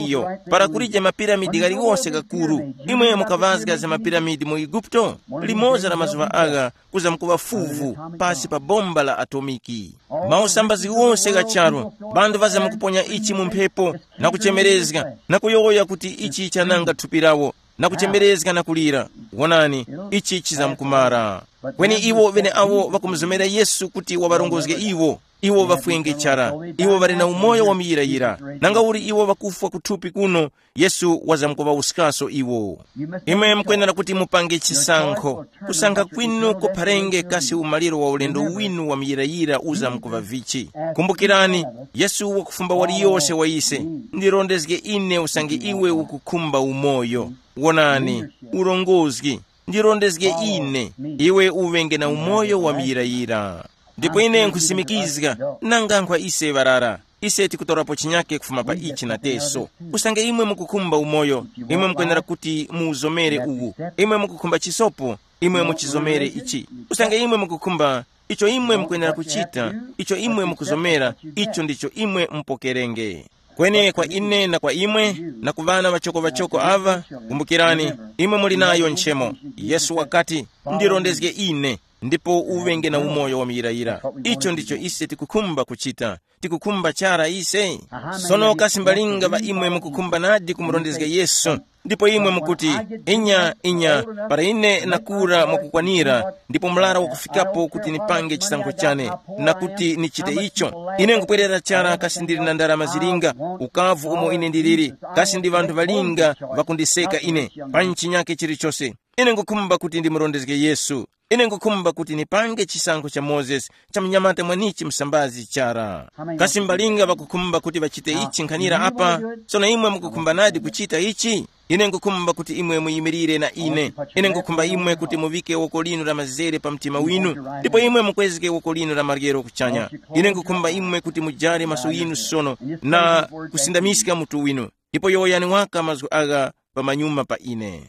iyo. Para kulije mapiramidi ghaliwose gakuru, imwe mukaŵazga za mapiramidi mu Eguputo, limoza la mazuŵa agha kuzamkuŵa fuvu pasi pa bomba la atomiki. Mausambazi wose gha charu, banthu ŵazamkuponya ichi mu mphepo, na kuchemerezga, na kuyowoya kuti ichi chananga thupi lawo, na kuchemerezga na kulira. Wonani, ichi chizamkumara. Kweni iwo ŵeneawo ŵakumuzomera Yesu kuti waŵarongozge iwo, Iwo ŵafwenge chara. Iwo ŵali na umoyo wa muyirayira. Nanga uli iwo ŵakufwa kuthupi kuno, Yesu wazamkuŵawuskaso iwo. Imwe mukwenera kuti mupange chisankho. Kusankha kwinu kupharenge kasi umaliro wa ulendo winu wa muyirayira uzamkuŵa vichi. Kumbukirani, Yesu wakufumba waliyose wa ise. Ndirondezge ine usange iwe ukukhumba umoyo. Wonani, urongozgi. Ndirondezge ine, iwe uŵenge na umoyo wa muyirayira. Ndipo ine nkhusimikizga, nanga nkhwa ise ŵarara, ise tikutorapo chinyake kufuma pa ichi na teso. Usange imwe mukukhumba umoyo, imwe mukwenera kuti muwuzomere uwu. Imwe mukukhumba chisopo, imwe muchizomere ichi. Usange imwe mukukhumba icho imwe mukwenera kuchita, icho imwe mukuzomera, icho ndicho imwe mupokerenge. Kweni kwa ine na kwa imwe, na ku ŵana ŵachoko-ŵachoko aŵa, kumbukirani, imwe muli nayo nchemo. Yesu wakati, ndirondezge ine, ndipo uŵenge na umoyo wa muyirayira. Icho ndicho ise tikukhumba kuchita. Tikukhumba chara ise. Sono kasi mbalinga ŵa imwe mukukhumba nadi kumurondezga Yesu? Ndipo imwe mukuti, inya, inya, para ine nakura mwakukwanira, ndipo murara wakufikapo kuti nipange chisankho chane, na kuti nichite icho. Ine nkupwerera chara kasi ndili na ndarama zilinga, ukavu umo ine ndiliri, kasi ndi ŵanthu ŵalinga ŵakundiseka ine, pa nchinyake chilichose. Ine ngukhumba kuti ndimurondezge Yesu. Ine ngukhumba kuti nipange chisankho cha Mozesi, cha mnyamata mwanichi msambazi chara. Kasi mbalinga ŵakukhumba kuti ŵachite ichi nkhanira apa? Sono imwe mukukhumba nadi kuchita ichi? Ine ngukhumba kuti imwe muyimirire na ine. Ine ngukhumba imwe kuti muvike woko linu la mazere pa mtima winu, ndipo imwe mukwezge woko linu la maryero kuchanya. Ine ngukhumba imwe kuti mujare maso yinu sono, na kusindamiska mutu winu, ndipo yowoyani waka mazgu agha pamanyuma pa ine.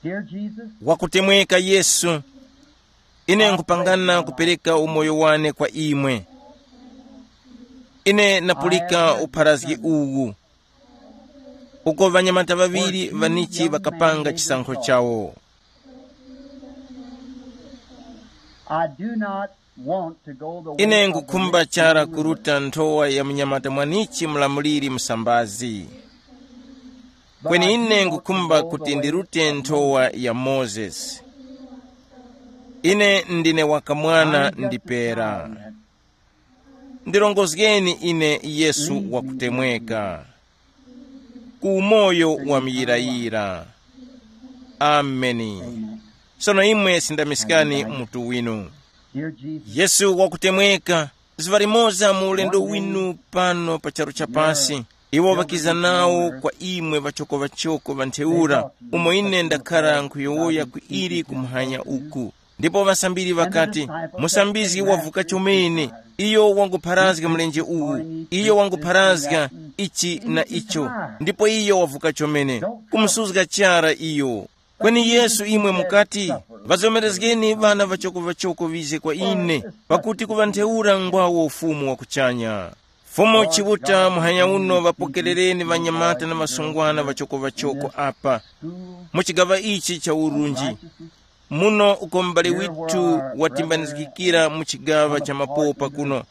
Dear Jesus, Wakutemweka Yesu, ine nkupangana kupereka umoyo wane kwa imwe. Ine napulika upharazgi uwu, uko ŵanyamata ŵaŵiri ŵanichi ŵakapanga chisankho chawo. I do not want to go the way Ine of the ngukhumba rich chara young ruler. Kuruta nthowa ya mnyamata mwanichi mlamuliri msambazi. Kweni ine ngukhumba kuti ndirute nthowa ya Mozesi. Ine ndine wakamwana ndipera. Ndirongozgeni ine Yesu wakutemweka, ku umoyo wa muyirayira. Ameni. Sono imwe sindamiskani mutu winu. Yesu wakutemweka, zuŵa limoza mu ulendo winu pano pa charu cha pasi, iwo ŵakiza nawo kwa imwe ŵachoko-ŵachoko ŵa ntheura, umo ine ndakhara nkhuyowoya ku ili kumuhanya uku. Ndipo ŵasambiri ŵakati, musambizgi wavuka chomene, iyo wangupharazga mlenje uwu, iyo wangupharazga ichi na icho, ndipo iyo wavuka chomene, kumusuzga chara iyo. Kweni Yesu imwe mukati, ŵazomerezgeni ŵana ŵachoko-ŵachoko ŵize kwa ine, pakuti kuŵa ntheura ngwawo ufumu wa kuchanya. Fumu Chiuta muhanya uno ŵapokerereni ŵanyamata na ŵasungwana ŵachoko-ŵachoko apa, mu chigaŵa ichi cha urunji. Muno uko m'bale withu watimbanizgikira mu chigaŵa cha mapopa kuno,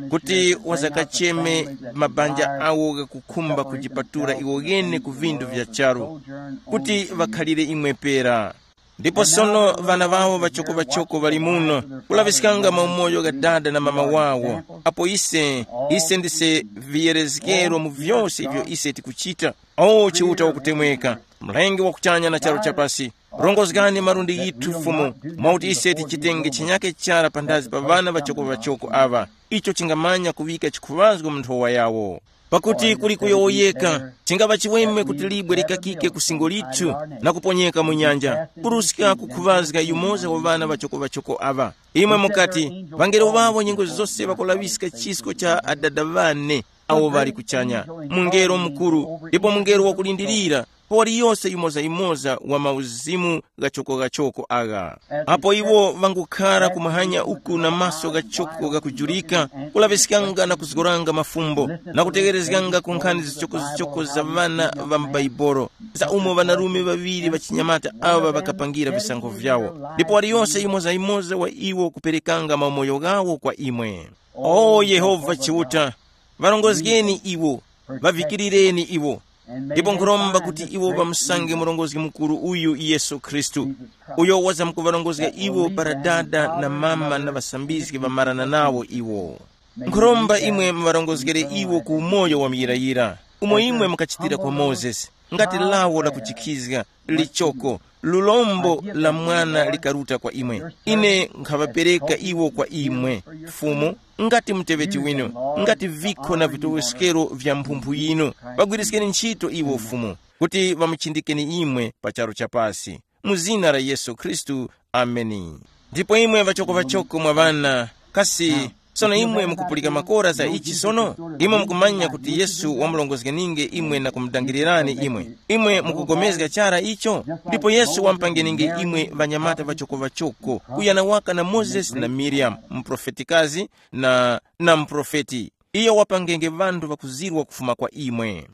kuti wazakacheme mabanja awo ghakukhumba kujipatula iwo ghene ku vindu vya charu, kuti ŵakhalire imwe pera. Ndipo sono ŵana ŵawo ŵachoko-ŵachoko ŵali muno, kulaŵiskanga maumoyo gha dada na mama wawo. Apo ise, ise ndise viyerezgero mu vyose ivyo ise tikuchita. O Chiuta wakutemweka, Mlengi wa kuchanya na charu chapasi, rongozgani malundi ghithu Fumu, mwakuti ise tichitenge chinyake chara panthazi pa ŵana ŵachoko-ŵachoko aŵa, icho chingamanya kuŵika chikhuŵazgo mu nthowa yawo. Pakuti kuli kuyowoyeka, chingapa chiweme kuti libwe likakike ku singo lithu na kuponyeka mu nyanja, kuruska kukhuŵazga yumoza wa ŵana ŵachoko-ŵachoko aŵa. Imwe mukati, ŵangelo ŵawo nyengo zose ŵakulaŵiska chisko cha Adada ŵane awo ŵali kuchanya, mungelo mukuru, ndipo mungelo wakulindirira, pawali yose yumoza-yumoza wa mauzimu ghachoko-ghachoko agha. Apo iwo ŵangukhara kumahanya uku na maso ghachoko ghakujurika, kulaŵiskanga na kuzgoranga mafumbo, na kutegherezganga ku nkhani zichoko-zichoko za ŵana ŵa m'Baibolo, za umo ŵanarume ŵaŵiri ŵachinyamata aŵa ŵakapangira visankho vyawo, ndipo waliyose yumoza-yumoza wa iwo kuperekanga maumoyo ghawo kwa imwe. O Yehova Chiuta, ŵarongozgeni iwo, ŵavikirireni iwo. Ndipo nkhuromba kuti iwo ŵamusange Murongozgi Mukuru uyu Yesu Khristu, uyo wazamkuŵarongozga iwo para dada na mama na ŵasambizgi ŵamarana nawo iwo. Nkhuromba imwe muŵarongozgere iwo ku umoyo wa muyirayira, umo imwe mukachitira kwa Mozesi, ngati lawo la kujikhizga, lichoko, lulombo la mwana likaruta kwa imwe. Ine nkhaŵapereka iwo kwa imwe, Fumu, ngati muteŵeti winu, ngati vikho na vitowoskero vya mphumphu yinu, ŵagwiriskeni ntchito iwo Fumu, kuti ŵamuchindikeni imwe pa charu cha pasi. Mu zina la Yesu Khristu, ameni. Ndipo imwe ŵachoko ŵachoko mwa ŵana, kasi sono imwe mukupulika makora za ichi sono? Imwe mukumanya kuti Yesu wamulongozgeninge imwe na kumudangilirani imwe. Imwe mukugomezga chara icho? Ndipo Yesu wampangeninge imwe ŵanyamata ŵachoko ŵachoko, kuyana waka na Mozesi na Miriamu, muprofetikazi na, na muprofeti. Iyo wapangenge ŵanthu ŵakuzirwa kufuma kwa imwe.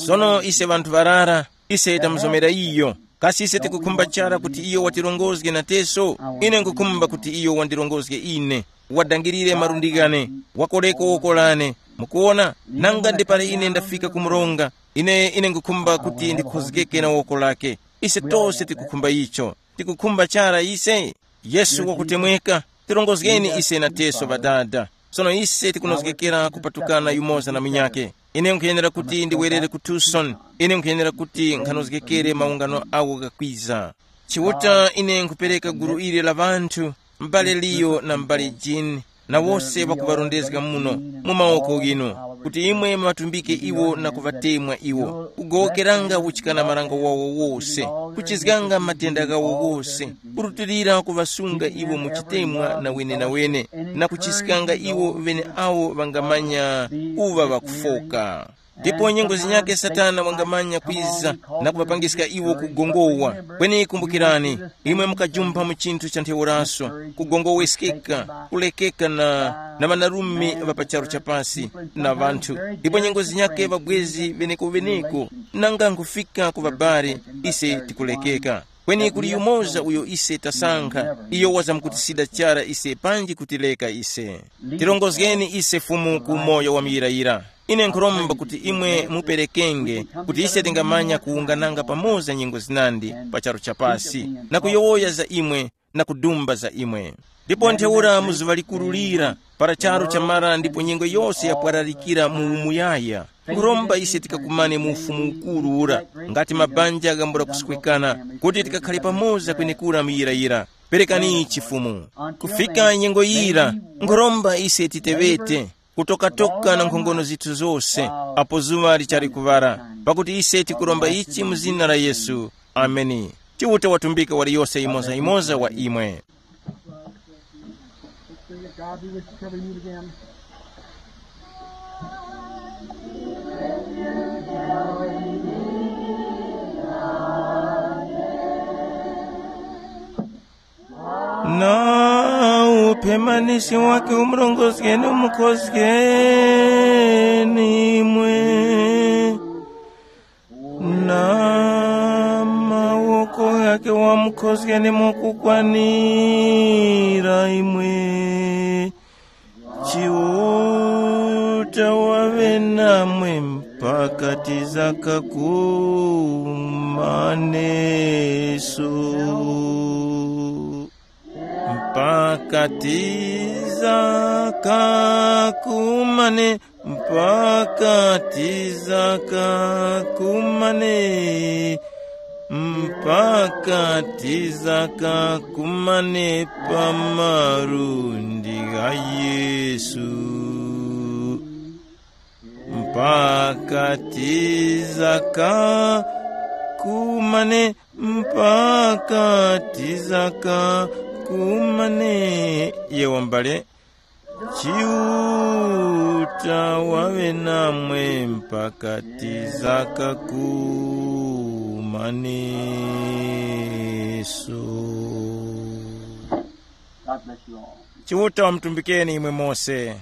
Sono ise ŵanthu ŵarara, ise tamuzomera iyo. Kasi ise tikukhumba chara kuti iyo watirongozge na teso? Ine nkukhumba kuti iyo wandirongozge ine, wadangirire malundi ghane, wakoreko woko lane. Mukuwona, nanga ndi pali ine ndafika ku mronga, ine ine nkukhumba kuti ndikhozgeke na woko lake. Ise tose tikukhumba icho. Tikukhumba chara ise. Yesu wakutemweka, tirongozgeni ise na teso ŵadada. Sono ise tikunozgekera kupatukana yumoza na munyakhe. Ine nkhuyenera kuti ndiwerere ku Tucson. Ine nkhuyenera kuti nkhanozgekere maungano awo ghakwiza. Chiuta, ine nkhupereka gulu ili la ŵanthu, m'bale Liyo na m'bale Jini, na wose ŵakuŵarondezga muno mu mawoko ghinu, kuti imwe muŵatumbike iwo na kuŵatemwa iwo, kugowokeranga uchikana marango wawo wose, kuchizganga matenda ghawo wose, kurutilira kuŵasunga iwo mu chitemwa na wenenawene, na kuchiskanga iwo ŵeneawo ŵangamanya kuŵa ŵakufoka. Ndipo nyengo zinyakhe Satana wangamanya kwiza na kuŵapangiska iwo kugongowa. Kweni kumbukirani, imwe mukajumpha mu chinthu cha ntheuraso, kugongoweskeka, kulekeka na, na ŵanarume ŵa pa charu cha pasi na ŵanthu. Ndipo nyengo zinyakhe ŵabwezi ŵeneko-ŵeneko, nanga nkhufika ku ŵabali, ise tikulekeka. Kweni kuli yumoza uyo ise tasankha, iyo wazamkutisida chara ise panji kutileka ise. Tirongozgeni ise Fumu ku moyo wa muyirayira. Ine nkhuromba kuti imwe muperekenge, kuti ise tingamanya kuwungananga pamoza nyengo zinandi pa charu cha pasi, na kuyowoya za imwe, na kudumba za imwe. Ndipo ntheura mu zuŵa likuru lira, para charu chamara ndipo nyengo yose yapwararikira mu umuyaya, nkhuromba ise tikakumane mu ufumu ukuru ura, ngati mabanja ghambula kuswekana, kuti tikakhale pamoza kwenekura muyirayira. Perekani chifumu. Kufika nyengo yira, nkhuromba ise titeŵete, kutokatoka na nkhongono zithu zose, apo zuŵa lichali kuŵara, pakuti ise tikuromba ichi mu zina la Yesu. Ameni. Chiuta watumbika waliyose yimoza-yimoza wa imwe. God, we wish to cover you again. Na uphemanisi wake umurongozgeni, umukhozgeni imwe, na mawoko ghake wamukhozgeni mokukwanira imwe. Chiuta waŵe namwe mpaka tizakakumaneso. Mpaka tizakakumane, mpaka tizakakumane, mpaka tizakakumane pa malundi gha Yesu. Mpaka tizakakumane, mpaka tizakakumane. Yewo mbale. Chiuta waŵe namwe mpaka tizakakumaneso. God bless you all. Chiuta wamutumbikeni imwe mose.